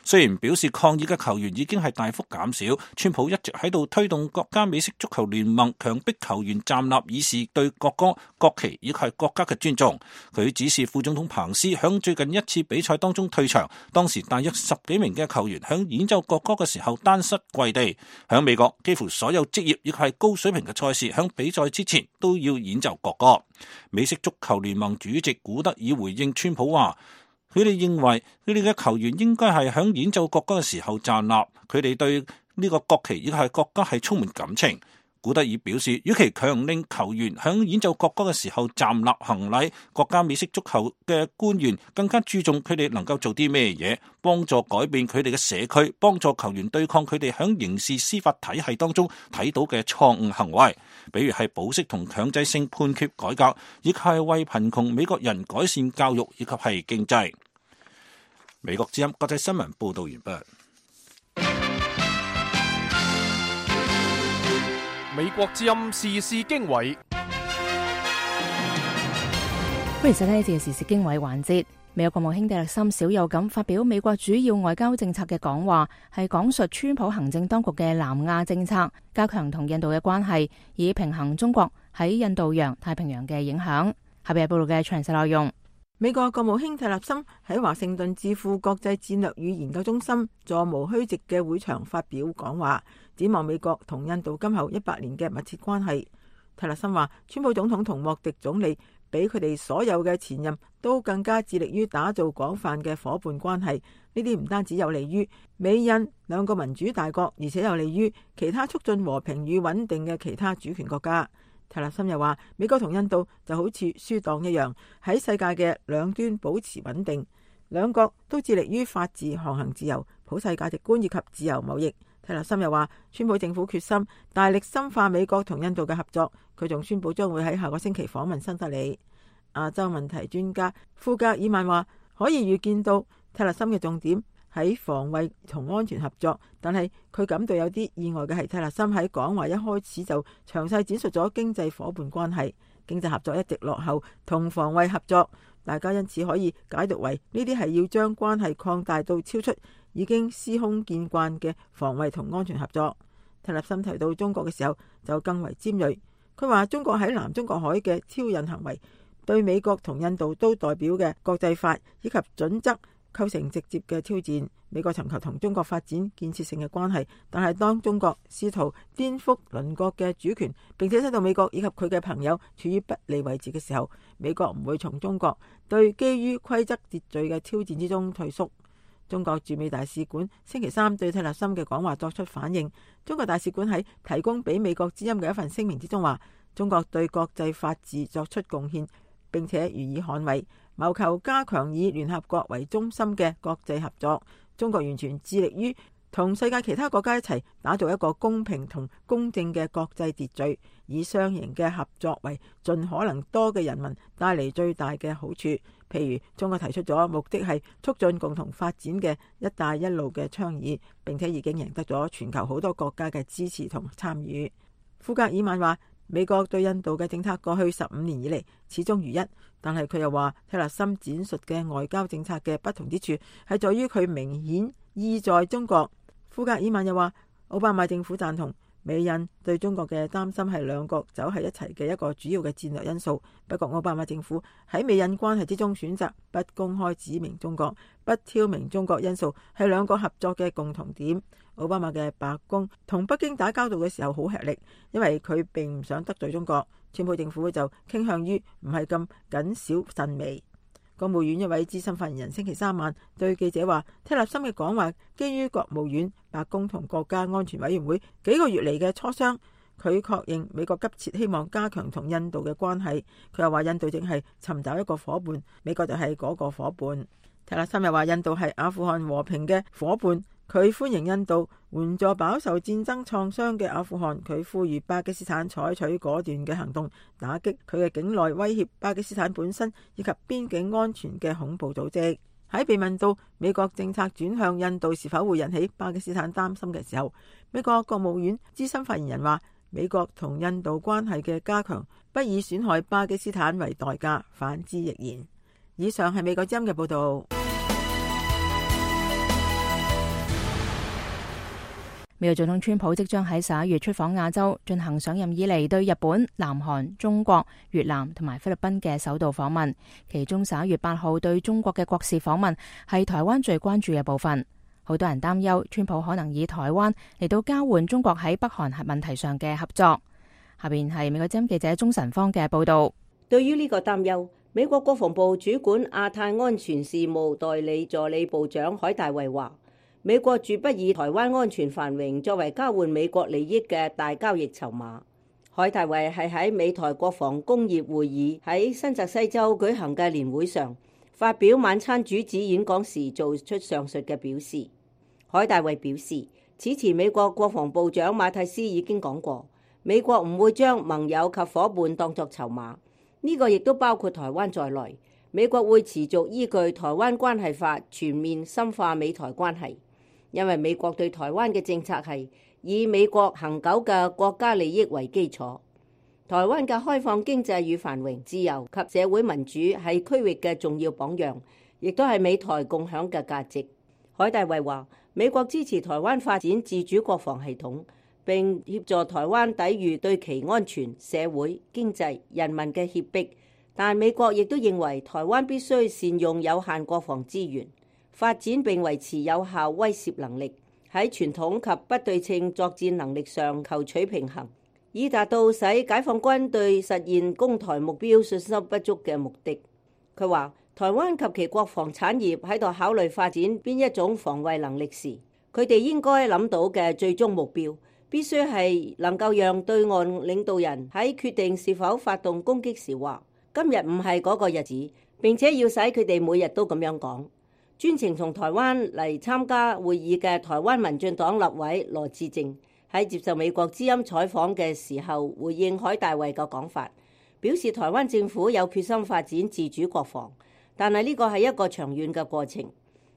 雖然表示抗議嘅球員已經係大幅減少。川普一直喺度推動國家美式足球聯盟強迫球員站立，以示對國歌、國旗以及係國家嘅尊重。佢指示副總統彭斯響最近一次比賽當中退場，當時大約十幾名嘅球員響演奏國歌嘅時候單膝跪地。響美國，幾乎所有職業亦係高水平嘅賽事響比賽之前都要演奏國歌。美式足球聯盟主席古德爾回應川普話，佢哋認為佢哋嘅球員應該係響演奏國歌嘅時候站立，佢哋對呢個國旗以及係國家係充滿感情。古德爾表示，與其強令球員響演奏國歌嘅時候站立行禮，國家美式足球嘅官員更加注重佢哋能夠做啲咩嘢，幫助改變佢哋嘅社區，幫助球員對抗佢哋響刑事司法體系當中睇到嘅錯誤行為，比如係保釋同強制性判決改革，亦係為貧窮美國人改善教育以及係經濟。美國之音國際新聞報道完畢。美國之音時事經緯，歡迎收聽呢節嘅時事經緯環節。美國國務卿蒂勒森少有咁發表美國主要外交政策嘅講話，係講述川普行政當局嘅南亞政策，加強同印度嘅關係，以平衡中國喺印度洋、太平洋嘅影響。下邊係報道嘅詳細內容。美國國務卿蒂勒森喺華盛頓智庫國際戰略與研究中心座無虛席嘅會場發表講話，展望美國同印度今後一百年嘅密切關係。蒂勒森話，川普總統同莫迪總理比佢哋所有嘅前任都更加致力於打造廣泛嘅伙伴關係，呢啲唔單止有利於美印兩個民主大國，而且有利於其他促進和平與穩定嘅其他主權國家。蒂勒森又話，美國同印度就好似輸黨一樣，喺世界嘅兩端保持穩定，兩國都致力於法治、航行自由、普世價值觀以及自由貿易。蒂勒森又話，川普政府決心大力深化美國同印度嘅合作。佢仲宣布將會喺下個星期訪問新德里。亞洲問題專家庫格爾曼話，可以預見到蒂勒森嘅重點喺防衛同安全合作，但係佢感到有啲意外嘅係，蒂勒森喺講話一開始就詳細展述咗經濟伙伴關係，經濟合作一直落後同防衛合作，大家因此可以解讀為呢啲係要將關係擴大到超出已經司空見慣嘅防衛同安全合作。蒂勒森提到中國嘅時候就更為尖銳，佢話中國喺南中國海嘅挑釁行為對美國同印度都代表嘅國際法以及準則構成直接嘅挑戰。美國尋求同中國發展建設性嘅關係，但係當中國試圖顛覆鄰國嘅主權，並且使到美國以及佢嘅朋友處於不利位置嘅時候，美國唔會從中國對基於規則秩序嘅挑戰之中退縮。中國駐美大使館星期三對蒂勒森嘅講話作出反應。中國大使館喺提供俾美國之音嘅一份聲明之中話，中國對國際法治作出貢獻，並且予以捍衛，謀求加強以聯合國為中心嘅國際合作。中國完全致力於同世界其他國家一齊打造一個公平同公正嘅國際秩序，以雙贏嘅合作為盡可能多嘅人民帶嚟最大嘅好處。譬如中國提出咗目的係促進共同發展嘅一帶一路嘅倡議，並且已經贏得咗全球好多國家嘅支持同參與。庫格爾曼話，美國對印度嘅政策過去十五年以嚟始終如一，但係佢又話蒂勒森展述嘅外交政策嘅不同之處係在於佢明顯意在中國。庫格爾曼又話，奧巴馬政府贊同美印對中國嘅擔心係兩國走喺一齊嘅一個主要嘅戰略因素。不過奧巴馬政府喺美印關係之中選擇不公開指明中國，不挑明中國因素係兩國合作嘅共同點。奧巴馬嘅白宮同北京打交道嘅時候好吃力，因為佢並唔想得罪中國。川普政府就傾向於唔係咁謹小慎微。國務院一位資深發言人星期三晚對記者話，蒂勒森嘅講話基於國務院、白宮同國家安全委員會幾個月嚟嘅磋商。佢確認美國急切希望加強同印度嘅關係。佢又話印度正係尋找一個伙伴，美國就係嗰個伙伴。蒂勒森又話印度係阿富汗和平嘅伙伴。佢歡迎印度援助飽受戰爭創傷嘅阿富汗。佢呼籲巴基斯坦採取果斷嘅行動，打擊佢嘅境內威脅巴基斯坦本身以及邊境安全嘅恐怖組織。喺被問到美國政策轉向印度是否會引起巴基斯坦擔心嘅時候，美國國務院資深發言人話，美國同印度關係嘅加強不以損害巴基斯坦為代價，反之亦然。以上係美國之音嘅報道。美國總統川普即將喺十一月出訪亞洲，進行上任以嚟對日本、南韓、中國、越南同埋菲律賓嘅首度訪問。其中十一月八號對中國嘅國事訪問係台灣最關注嘅部分。好多人擔憂川普可能以台灣嚟到交換中國喺北韓核問題上嘅合作。下邊係美國之音記者鍾晨芳嘅報道。對於呢個擔憂，美國國防部主管亞太安全事務代理助理部長海大衛話，美國絕不以台灣安全繁榮作為交換美國利益嘅大交易籌碼。海大衛係喺美台國防工業會議喺新澤西州舉行嘅年會上發表晚餐主旨演講時做出上述嘅表示。海大衛表示，此前美國國防部長馬蒂斯已經講過，美國唔會將盟友及夥伴當作籌碼，呢個亦都包括台灣在內。美國會持續依據《台灣關係法》全面深化美台關係。因為美國對台灣嘅政策係以美國恆久嘅國家利益為基礎，台灣嘅開放經濟與繁榮、自由及社會民主係區域嘅重要榜樣，亦都係美台共享嘅價值。海大衛話，美國支持台灣發展自主國防系統，並協助台灣抵禦對其安全、社會、經濟、人民嘅脅迫，但美國亦都認為台灣必須善用有限國防資源，發展並維持有效威懾能力，喺傳統及不對稱作戰能力上求取平衡，以達到使解放軍對實現攻台目標信心不足嘅目的。佢話，台灣及其國防產業喺度考慮發展邊一種防衛能力時，佢哋應該諗到嘅最終目標必須係能夠讓對岸領導人喺決定是否發動攻擊時話，今日唔係嗰個日子，並且要使佢哋每日都咁樣講。專程從台灣嚟參加會議嘅台灣民進黨立委羅致政喺接受美國之音採訪嘅時候，回應海大衛嘅講法，表示台灣政府有決心發展自主國防，但係呢個係一個長遠嘅過程，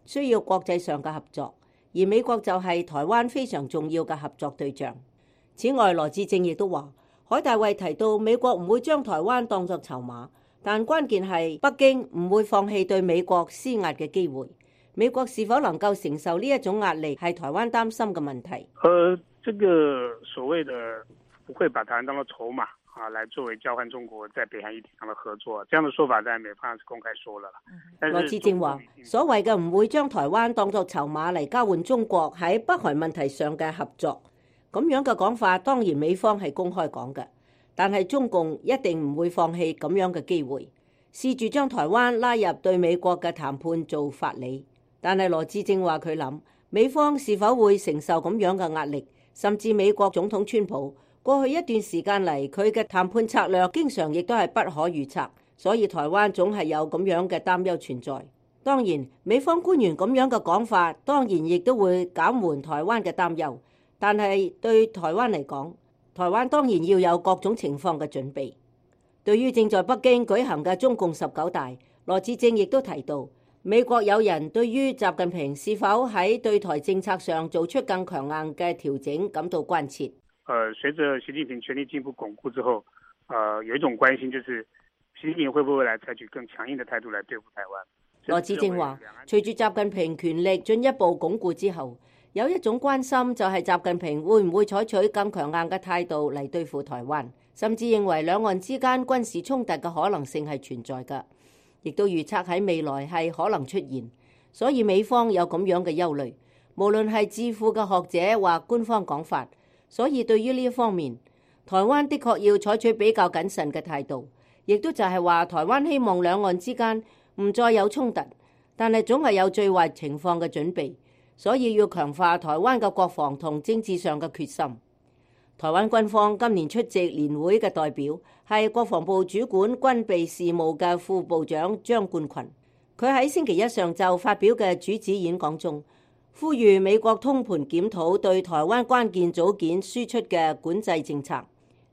需要國際上嘅合作，而美國就係台灣非常重要嘅合作對象。此外，羅致政亦都話，海大衛提到美國唔會將台灣當作籌碼，但關鍵係北京唔會放棄對美國施壓嘅機會。美國是否能夠承受呢一種壓力，係台灣擔心嘅問題。呃，這個所謂的不會把台灣當作籌碼啊，來作為交換中國在北韓議題上的合作，這樣的說法在美方是公開說了。羅致政話，所謂嘅唔會將台灣當作籌碼嚟交換中國喺北韓問題上嘅合作，咁樣嘅講法當然美方係公開講嘅，但係中共一定唔會放棄咁樣嘅機會，試住將台灣拉入對美國嘅談判做法理。但係羅致政話佢諗，美方是否會承受咁樣嘅壓力，甚至美國總統川普過去一段時間嚟，佢嘅談判策略經常亦都係不可預測，所以台灣總係有咁樣嘅擔憂存在。當然，美方官員咁樣嘅講法，當然亦都會減緩台灣嘅擔憂，但係對台灣嚟講，台灣當然要有各種情況嘅準備。對於正在北京舉行嘅中共十九大，羅致政亦都提到，美國有人對於習近平是否喺對台政策上做出更強硬嘅調整感到關切。呃，隨着習近平權力進一步鞏固之後，呃，有一種關心就是習近平會不會來採取更強硬的態度來對付台灣。羅致政話，隨住習近平權力進一步鞏固之後，有一種關心就係習近平會唔會採取更強硬嘅態度嚟對付台灣，甚至認為兩岸之間軍事衝突嘅可能性係存在嘅。亦都預測喺未來係可能出現，所以美方有咁樣嘅憂慮，無論係智庫嘅學者或官方講法。所以對於呢一方面，台灣的確要採取比較謹慎嘅態度，亦都就係話台灣希望兩岸之間唔再有衝突，但係總係有最壞情況嘅準備，所以要強化台灣嘅國防同政治上嘅決心。台灣軍方今年出席年會嘅代表係國防部主管軍備事務嘅副部長張冠群，佢喺星期一上晝發表嘅主旨演講中，呼籲美國通盤檢討對台灣關鍵組件輸出嘅管制政策，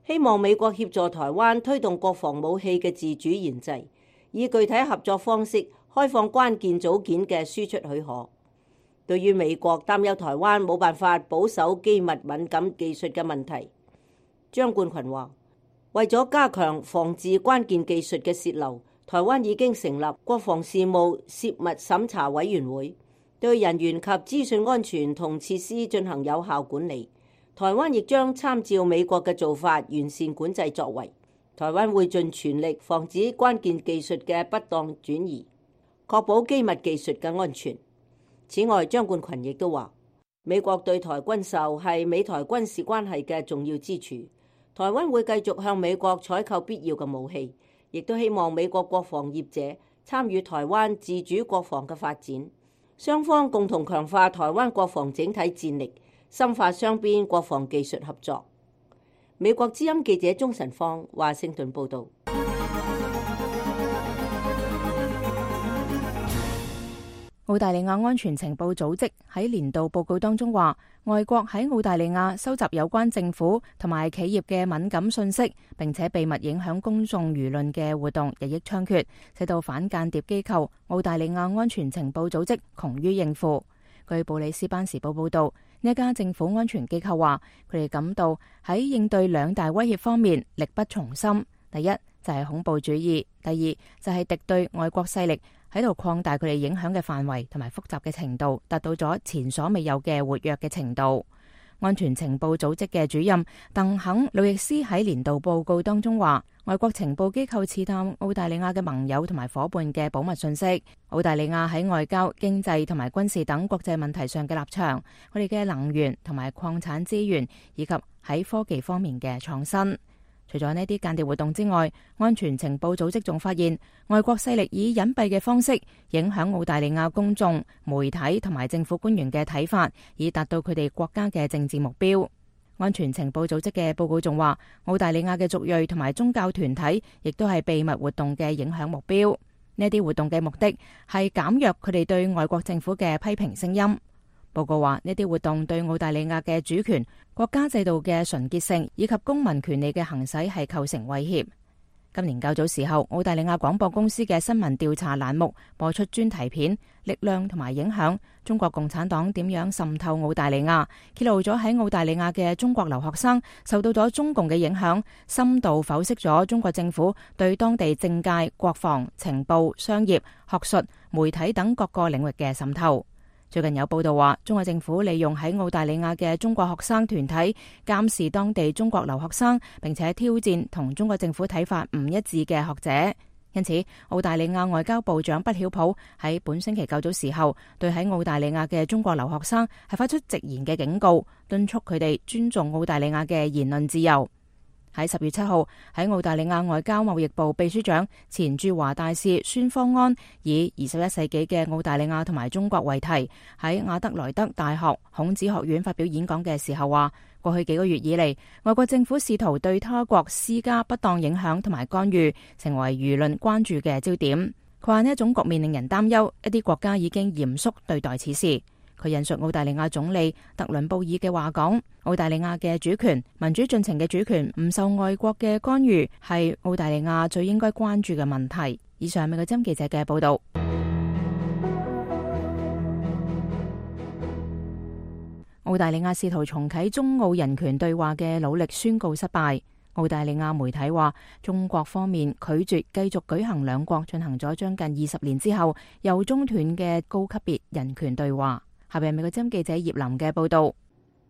希望美國協助台灣推動國防武器嘅自主研製，以具體合作方式開放關鍵組件嘅輸出許可。對於美國擔憂台灣冇辦法保守機密敏感技術嘅問題，張冠群話，為咗加強防治關鍵技術嘅洩漏，台灣已經成立國防事務泄密審查委員會，對人員及資訊安全同設施進行有效管理。台灣亦將參照美國嘅做法，完善管制作為。台灣會盡全力防止關鍵技術嘅不當轉移，確保機密技術嘅安全。此外，張冠群亦都話，美國對台軍售係美台軍事關係嘅重要支柱。台灣會繼續向美國採購必要嘅武器，亦都希望美國國防業者參與台灣自主國防嘅發展。雙方共同強化台灣國防整體戰力，深化雙邊國防技術合作。美國之音記者鍾晨芳華盛頓報道。澳大利亞安全情報組織喺年度報告當中話，外國喺澳大利亞收集有關政府同埋企業嘅敏感信息，並且秘密影響公眾輿論嘅活動日益猖獗，使到反間諜機構澳大利亞安全情報組織窮於應付。據布里斯班時報報道，呢一家政府安全機構話，佢哋感到喺應對兩大威脅方面力不從心。第一就係恐怖主義，第二就係敵對外國勢力喺度擴大佢哋影響嘅範圍同埋複雜嘅程度，達到咗前所未有嘅活躍嘅程度。安全情報組織嘅主任鄧肯路易斯喺年度報告當中話，外國情報機構刺探澳大利亞嘅盟友同埋伙伴嘅保密信息，澳大利亞喺外交、經濟同埋軍事等國際問題上嘅立場，佢哋嘅能源同埋礦產資源，以及喺科技方面嘅創新。除咗呢啲間諜活動之外，安全情報組織仲發現外國勢力以隱蔽嘅方式影響澳大利亞公眾、媒體同埋政府官員嘅睇法，以達到佢哋國家嘅政治目標。安全情報組織嘅報告仲話，澳大利亞嘅族裔同埋宗教團體亦都係秘密活動嘅影響目標。呢啲活動嘅目的係減弱佢哋對外國政府嘅批評聲音。報告話，呢啲活動對澳大利亞嘅主權、國家制度嘅純潔性以及公民權利嘅行使係構成威脅。今年較早時候，澳大利亞廣播公司嘅新聞調查欄目播出專題片《力量同埋影響：中國共產黨點樣滲透澳大利亞》，揭露咗喺澳大利亞嘅中國留學生受到咗中共嘅影響，深度剖析咗中國政府對當地政界、國防、情報、商業、學術、媒體等各個領域嘅滲透。最近有報道話，中國政府利用喺澳大利亞嘅中國學生團體監視當地中國留學生，並且挑戰同中國政府睇法唔一致嘅學者。因此，澳大利亞外交部長畢曉普喺本星期較早時候，對喺澳大利亞嘅中國留學生係發出直言嘅警告，敦促佢哋尊重澳大利亞嘅言論自由。喺十月七號，喺澳大利亞外交貿易部秘書長、前駐華大使孫方安以二十一世紀嘅澳大利亞同埋中國為題，喺亞德萊德大學孔子學院發表演講嘅時候話，過去幾個月以嚟，外國政府試圖對他國施加不當影響同埋干預，成為輿論關注嘅焦點。佢話呢一種局面令人擔憂，一啲國家已經嚴肅對待此事。佢引述澳大利亞總理特倫布爾嘅話講，澳大利亞嘅主權、民主進程嘅主權唔受外國嘅干預，係澳大利亞最應該關注嘅問題。以上係美國之音記者嘅報道。澳大利亞試圖重啟中澳人權對話嘅努力宣告失敗。澳大利亞媒體話，中國方面拒絕繼續舉行兩國進行咗將近二十年之後又中斷嘅高級別人權對話。下邊係美國之音記者葉林嘅報道。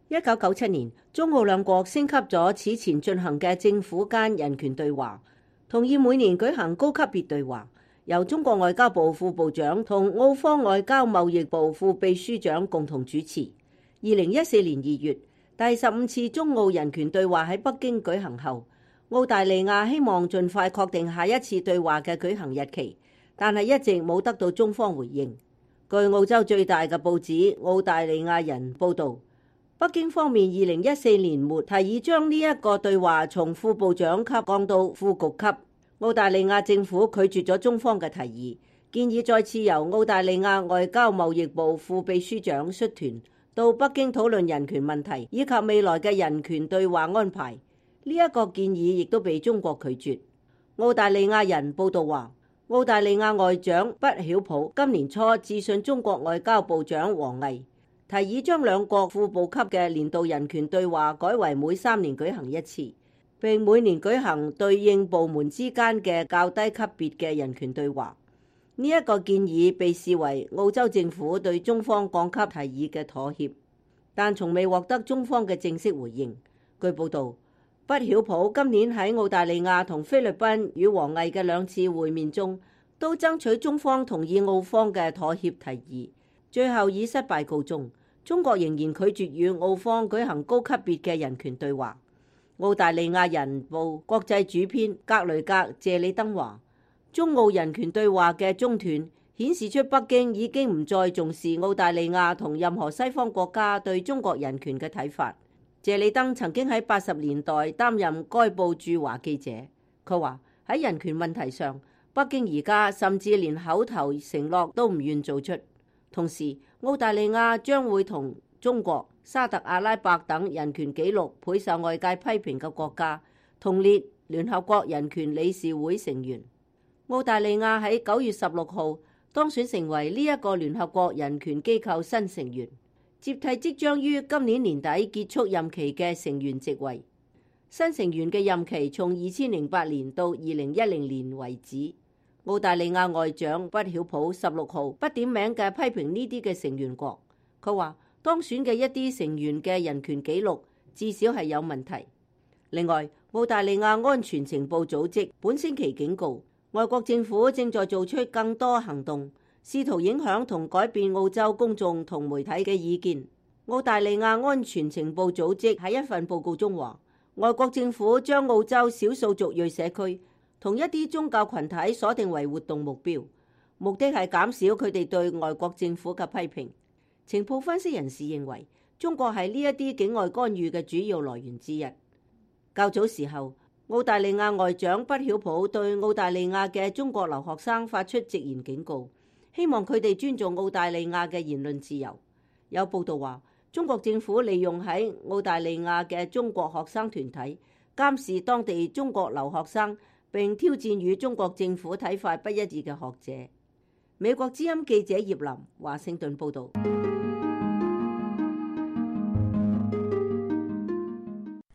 一九九七年，中澳兩國升級咗此前進行嘅政府間人權對話，同意每年舉行高級別對話，由中國外交部副部長同澳方外交貿易部副秘書長共同主持。二零一四年二月，第十五次中澳人權對話喺北京舉行後，澳大利亞希望盡快確定下一次對話嘅舉行日期，但係一直冇得到中方回應。據澳洲最大嘅報紙《澳大利亞人》報導，北京方面二零一四年末提議將呢一個對話從副部長級降到副局級。澳大利亞政府拒絕咗中方嘅提議，建議再次由澳大利亞外交貿易部副秘書長率團到北京討論人權問題以及未來嘅人權對話安排。呢一個建議亦都被中國拒絕。澳大利亞人報導話，澳大利亞外長畢曉普今年初致信中國外交部長王毅，提議將兩國副部級嘅年度人權對話改為每三年舉行一次，並每年舉行對應部門之間嘅較低級別嘅人權對話。呢一個建議被視為澳洲政府對中方降級提議嘅妥協，但從未獲得中方嘅正式回應。據報導，畢曉普今年喺澳大利亞同菲律賓與王毅嘅兩次會面中，都爭取中方同意澳方嘅妥協提議，最後以失敗告終。中國仍然拒絕與澳方舉行高級別嘅人權對話。澳大利亞人報國際主編格雷格謝里登話，中澳人權對話嘅中斷顯示出北京已經唔再重視澳大利亞同任何西方國家對中國人權嘅睇法。謝里登曾經喺八十年代擔任該報駐華記者，佢話喺人權問題上，北京而家甚至連口頭承諾都唔願做出。同時，澳大利亞將會同中國、沙特阿拉伯等人權紀錄備受外界批評嘅國家同列聯合國人權理事會成員。澳大利亞喺九月十六號當選成為呢一個聯合國人權機構新成員，接替即將於今年年底結束任期嘅成員席位。新成員嘅任期從二千零八年到二零一零年為止。澳大利亞外長畢曉普十六號不點名嘅批評呢啲嘅成員國，佢話當選嘅一啲成員嘅人權紀錄至少係有問題。另外，澳大利亞安全情報組織本星期警告，外國政府正在做出更多行動，試圖影響同改變澳洲公眾同媒體嘅意見。澳大利亞安全情報組織喺一份報告中話，外國政府將澳洲少數族裔社區同一啲宗教群體鎖定為活動目標，目的係減少佢哋對外國政府嘅批評。情報分析人士認為，中國係呢一啲境外干預嘅主要來源之一。較早時候，澳大利亞外長畢曉普對澳大利亞嘅中國留學生發出直言警告，希望佢哋尊重澳大利亞嘅言論自由。有報道話，中國政府利用喺澳大利亞嘅中國學生團體監視當地中國留學生，並挑戰與中國政府睇法不一致嘅學者。美國之音記者葉林華盛頓報導。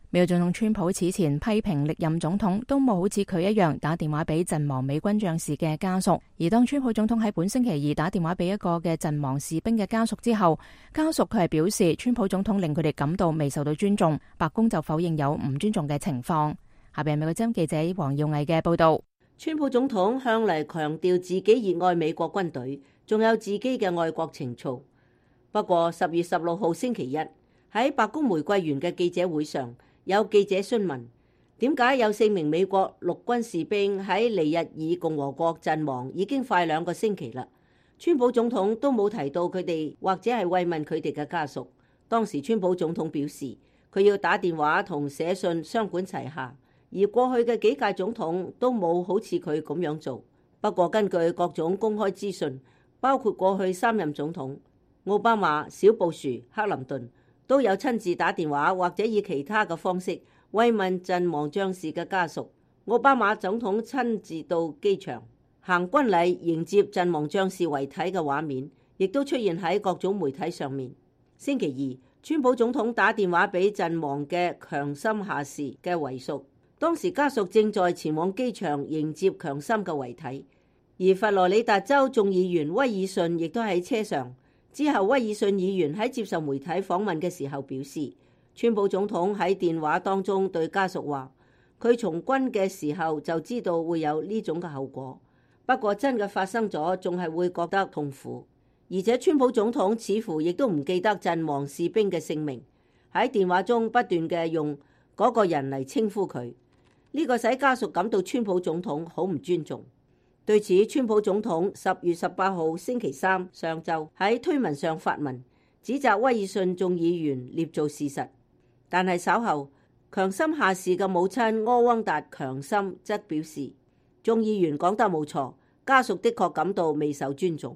美國總統川普此前批評歷任總統都冇好似佢一樣打電話俾陣亡美軍將士嘅家屬，而當川普總統喺本星期二打電話俾一個嘅陣亡士兵嘅家屬之後，家屬佢係表示川普總統令佢哋感到未受到尊重，白宮就否認有唔尊重嘅情況。下邊係美國之音記者黃耀毅嘅報道。川普總統向嚟強調自己熱愛美國軍隊，仲有自己嘅愛國情操。不過十月十六號星期一喺白宮玫瑰園嘅記者會上，有記者詢問點解有四名美國陸軍士兵喺尼日爾共和國陣亡已經快兩個星期啦，川普總統都冇提到佢哋或者係慰問佢哋嘅家屬。當時川普總統表示佢要打電話同寫信雙管齊下，而過去嘅幾屆總統都冇好似佢咁樣做。不過根據各種公開資訊，包括過去三任總統奧巴馬、小布殊、克林頓都有親自打電話或者以其他嘅方式慰問陣亡將士嘅家屬。奧巴馬總統親自到機場行軍禮迎接陣亡將士遺體嘅畫面，亦都出現喺各種媒體上面。星期二，川普總統打電話俾陣亡嘅強森下士嘅遺屬，當時家屬正在前往機場迎接強森嘅遺體，而佛羅里達州眾議員威爾遜亦都喺車上。之後，威爾遜議員喺接受媒體訪問嘅時候表示，川普總統喺電話當中對家屬話，佢從軍嘅時候就知道會有呢種嘅後果，不過真嘅發生咗，仲係會覺得痛苦。而且川普總統似乎亦都唔記得陣亡士兵嘅姓名，喺電話中不斷嘅用嗰個人嚟稱呼佢，呢個使家屬感到川普總統好唔尊重。對此，川普總統十月十八號星期三上晝喺推文上發文，指責威爾遜眾議員捏造事實。但係稍後，強森下士嘅母親柯汪達強森則表示，眾議員講得冇錯，家屬的確感到未受尊重。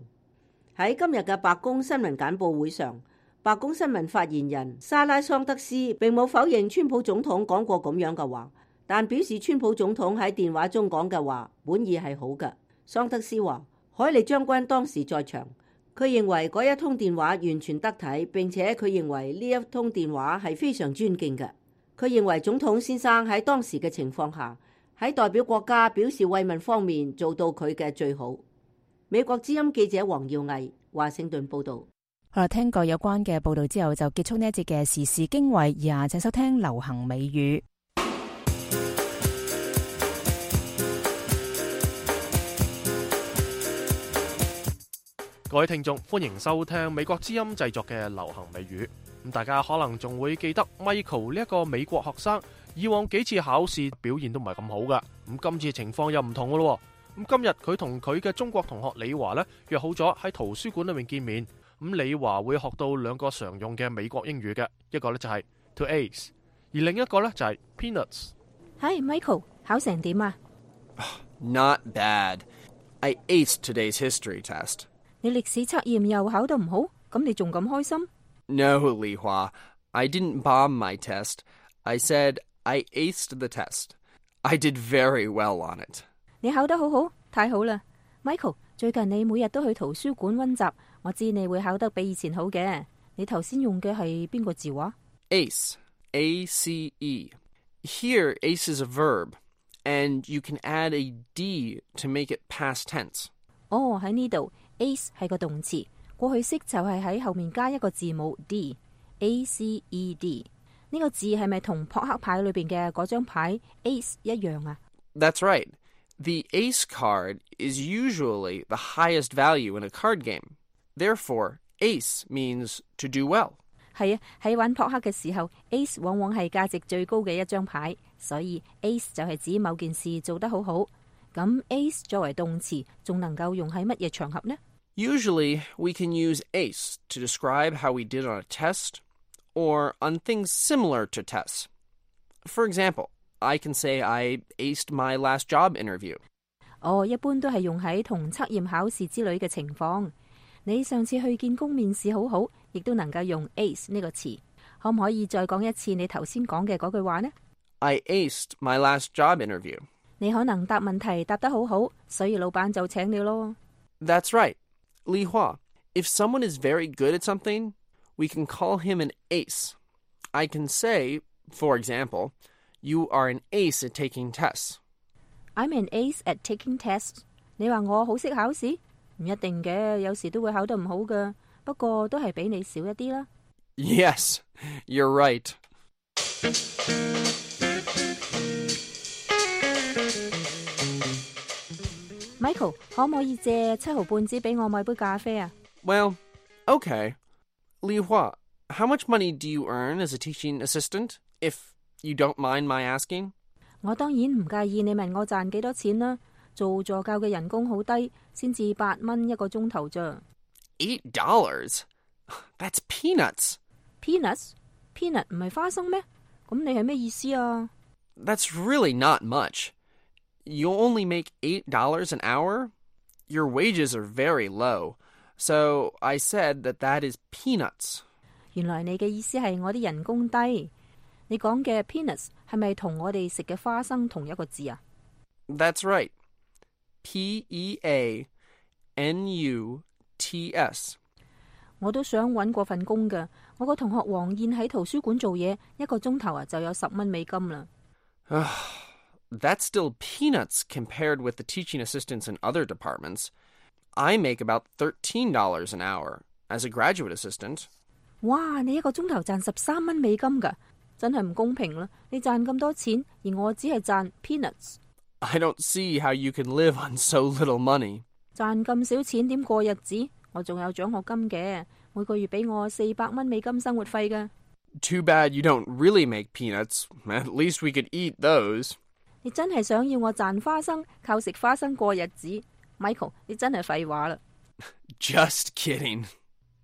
喺今日嘅白宮新聞簡報會上，白宮新聞發言人莎拉桑德斯並冇否認川普總統講過咁樣嘅話，但表示川普總統喺電話中講嘅話本意係好嘅。桑德斯話，海利將軍當時在場，佢認為嗰一通電話完全得體，並且佢認為呢一通電話係非常尊敬嘅。佢認為總統先生喺當時嘅情況下，喺代表國家表示慰問方面做到佢嘅最好。美國之音記者黃耀毅華盛頓報道。好啦，聽過有關嘅報道之後，就結束呢一節嘅時事經緯，而下請收聽流行美語。各位聽眾，歡迎收聽美國之音製作嘅流行美語。咁大家可能仲會記得 Michael 呢一個美國學生，以往幾次考試表現都唔係咁好噶。咁今次情況又唔同噶咯。咁今日佢同佢嘅中國同學李華呢，約好咗喺圖書館裏面見面。咁李華會學到兩個常用嘅美國英語嘅，一個呢就係 to ace， 而另一個呢就係 peanuts。Hi Michael， 考成點啊？ Not bad. I aced today's history test. 你歷史測驗又考得唔好，咁你仲咁開心？ No, Li Hua. I didn't bomb my test. I said I aced the test. I did very well on it. 你考得好好，太好啦 Michael， 最近你每日都去圖書館溫習，我知你會考得比以前好嘅。你頭先用嘅係邊個字話？ Ace. A C E. Here, ace is a verb, and you can add a D to make it past tense. 哦，喺呢度 ace 係個動詞，過去式就係喺後面加一個字母 D， A C E D。呢個字係咪同撲克牌裏邊嘅嗰張牌 ace 一樣啊？ That's right. The ace card is usually the highest value in a card game. Therefore, ace means to do well. 係啊，喺玩撲克嘅時候 ，ace 往往係價值最高嘅一張牌，所以 ace 就係指某件事做得好好。咁 ace 作為動詞，仲能夠用喺乜嘢場合呢？ Usually, we can use ace to describe how we did on a test or on things similar to tests. For example, I can say I aced my last job interview. 哦，一般都係用喺同測驗考試之類嘅情況。你上次去見工面試好好，亦都能夠用 ace 呢個詞。可唔可以再講一次你頭先講嘅嗰句話呢？ I aced my last job interview. 你可能答問題答得好好，所以老闆就請你咯。 That's right. Li Hua, if someone is very good at something, we can call him an ace. I can say, for example, you are an ace at taking tests. I'm an ace at taking tests. 你話我好識考試？唔一定嘅，有時都會考得唔好㗎。不過都係比你少一啲啦。 Yes, you're right. Michael, 可唔可以借七毫半紙俾我買杯咖啡啊？ Well, okay. Li Hua, how much money do you earn as a teaching assistant, if you don't mind my asking? 我當然唔介意你問我賺幾多錢啦。做助教嘅人工好低，先至八蚊一個鐘頭咋。Eight dollars? That's peanuts. Peanuts? Peanut 唔係花生咩？咁你係咩意思啊？ That's really not much. You only make eight dollars an hour? Your wages are very low. So I said that that is peanuts. 原來你嘅意思係我啲人工低。你講嘅 peanuts 係咪同我哋食嘅花生同一個字啊？ That's right. P E A N U T S. 我都想搵過份工㗎。我個同學黃燕喺圖書館做嘢，一個鐘頭啊就有十蚊美金啦。That's still peanuts compared with the teaching assistants in other departments. I make about thirteen dollars an hour as a graduate assistant. 哇！你一個鐘頭賺十三蚊美金㗎，真係唔公平啦！你賺咁多錢，而我只係賺 peanuts。I don't see how you can live on so little money. 賺咁少錢點過日子？我仲有獎學金嘅，每個月俾我四百蚊美金生活費㗎。Too bad you don't really make peanuts. At least we could eat those. 你真係想要我賺花生，靠食花生過日子 ？Michael， 你真係廢話啦。Just kidding.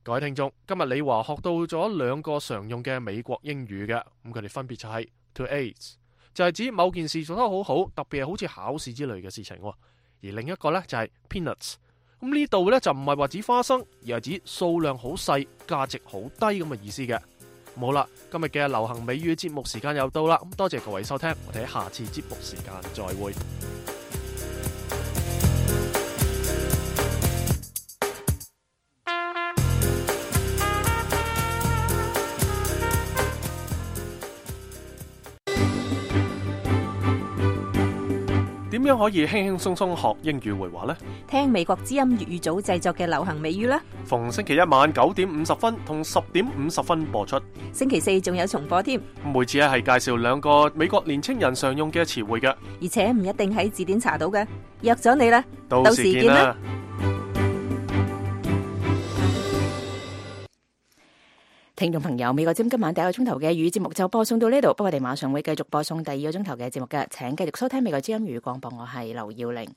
各位聽眾，今日李華學到咗兩個常用嘅美國英語嘅，咁佢哋分別就係 to ace， 就係指某件事做得好好，特別係好似考試之類嘅事情，而另一個呢，就係 peanuts。咁呢度呢，就唔係話指花生，而係指數量好細、價值好低咁嘅意思嘅。好啦，今日嘅流行美語節目時間又到啦，咁多謝各位收聽，我哋喺下次節目時間再會。點樣可以輕輕鬆鬆學英語會話呢？聽美國之音粵語組製作嘅流行美語啦。逢星期一晚九點五十分同十點五十分播出。星期四仲有重播添。每次咧係介紹兩個美國年青人常用嘅詞彙嘅，而且唔一定喺字典查到嘅。約咗你啦，到時見啦。聽眾朋友，美國之音今晚第一個鐘頭嘅語節目就播送到呢度，不過我哋馬上會繼續播送第二個鐘頭嘅節目嘅，請繼續收聽美國之音語廣播，我係劉耀玲。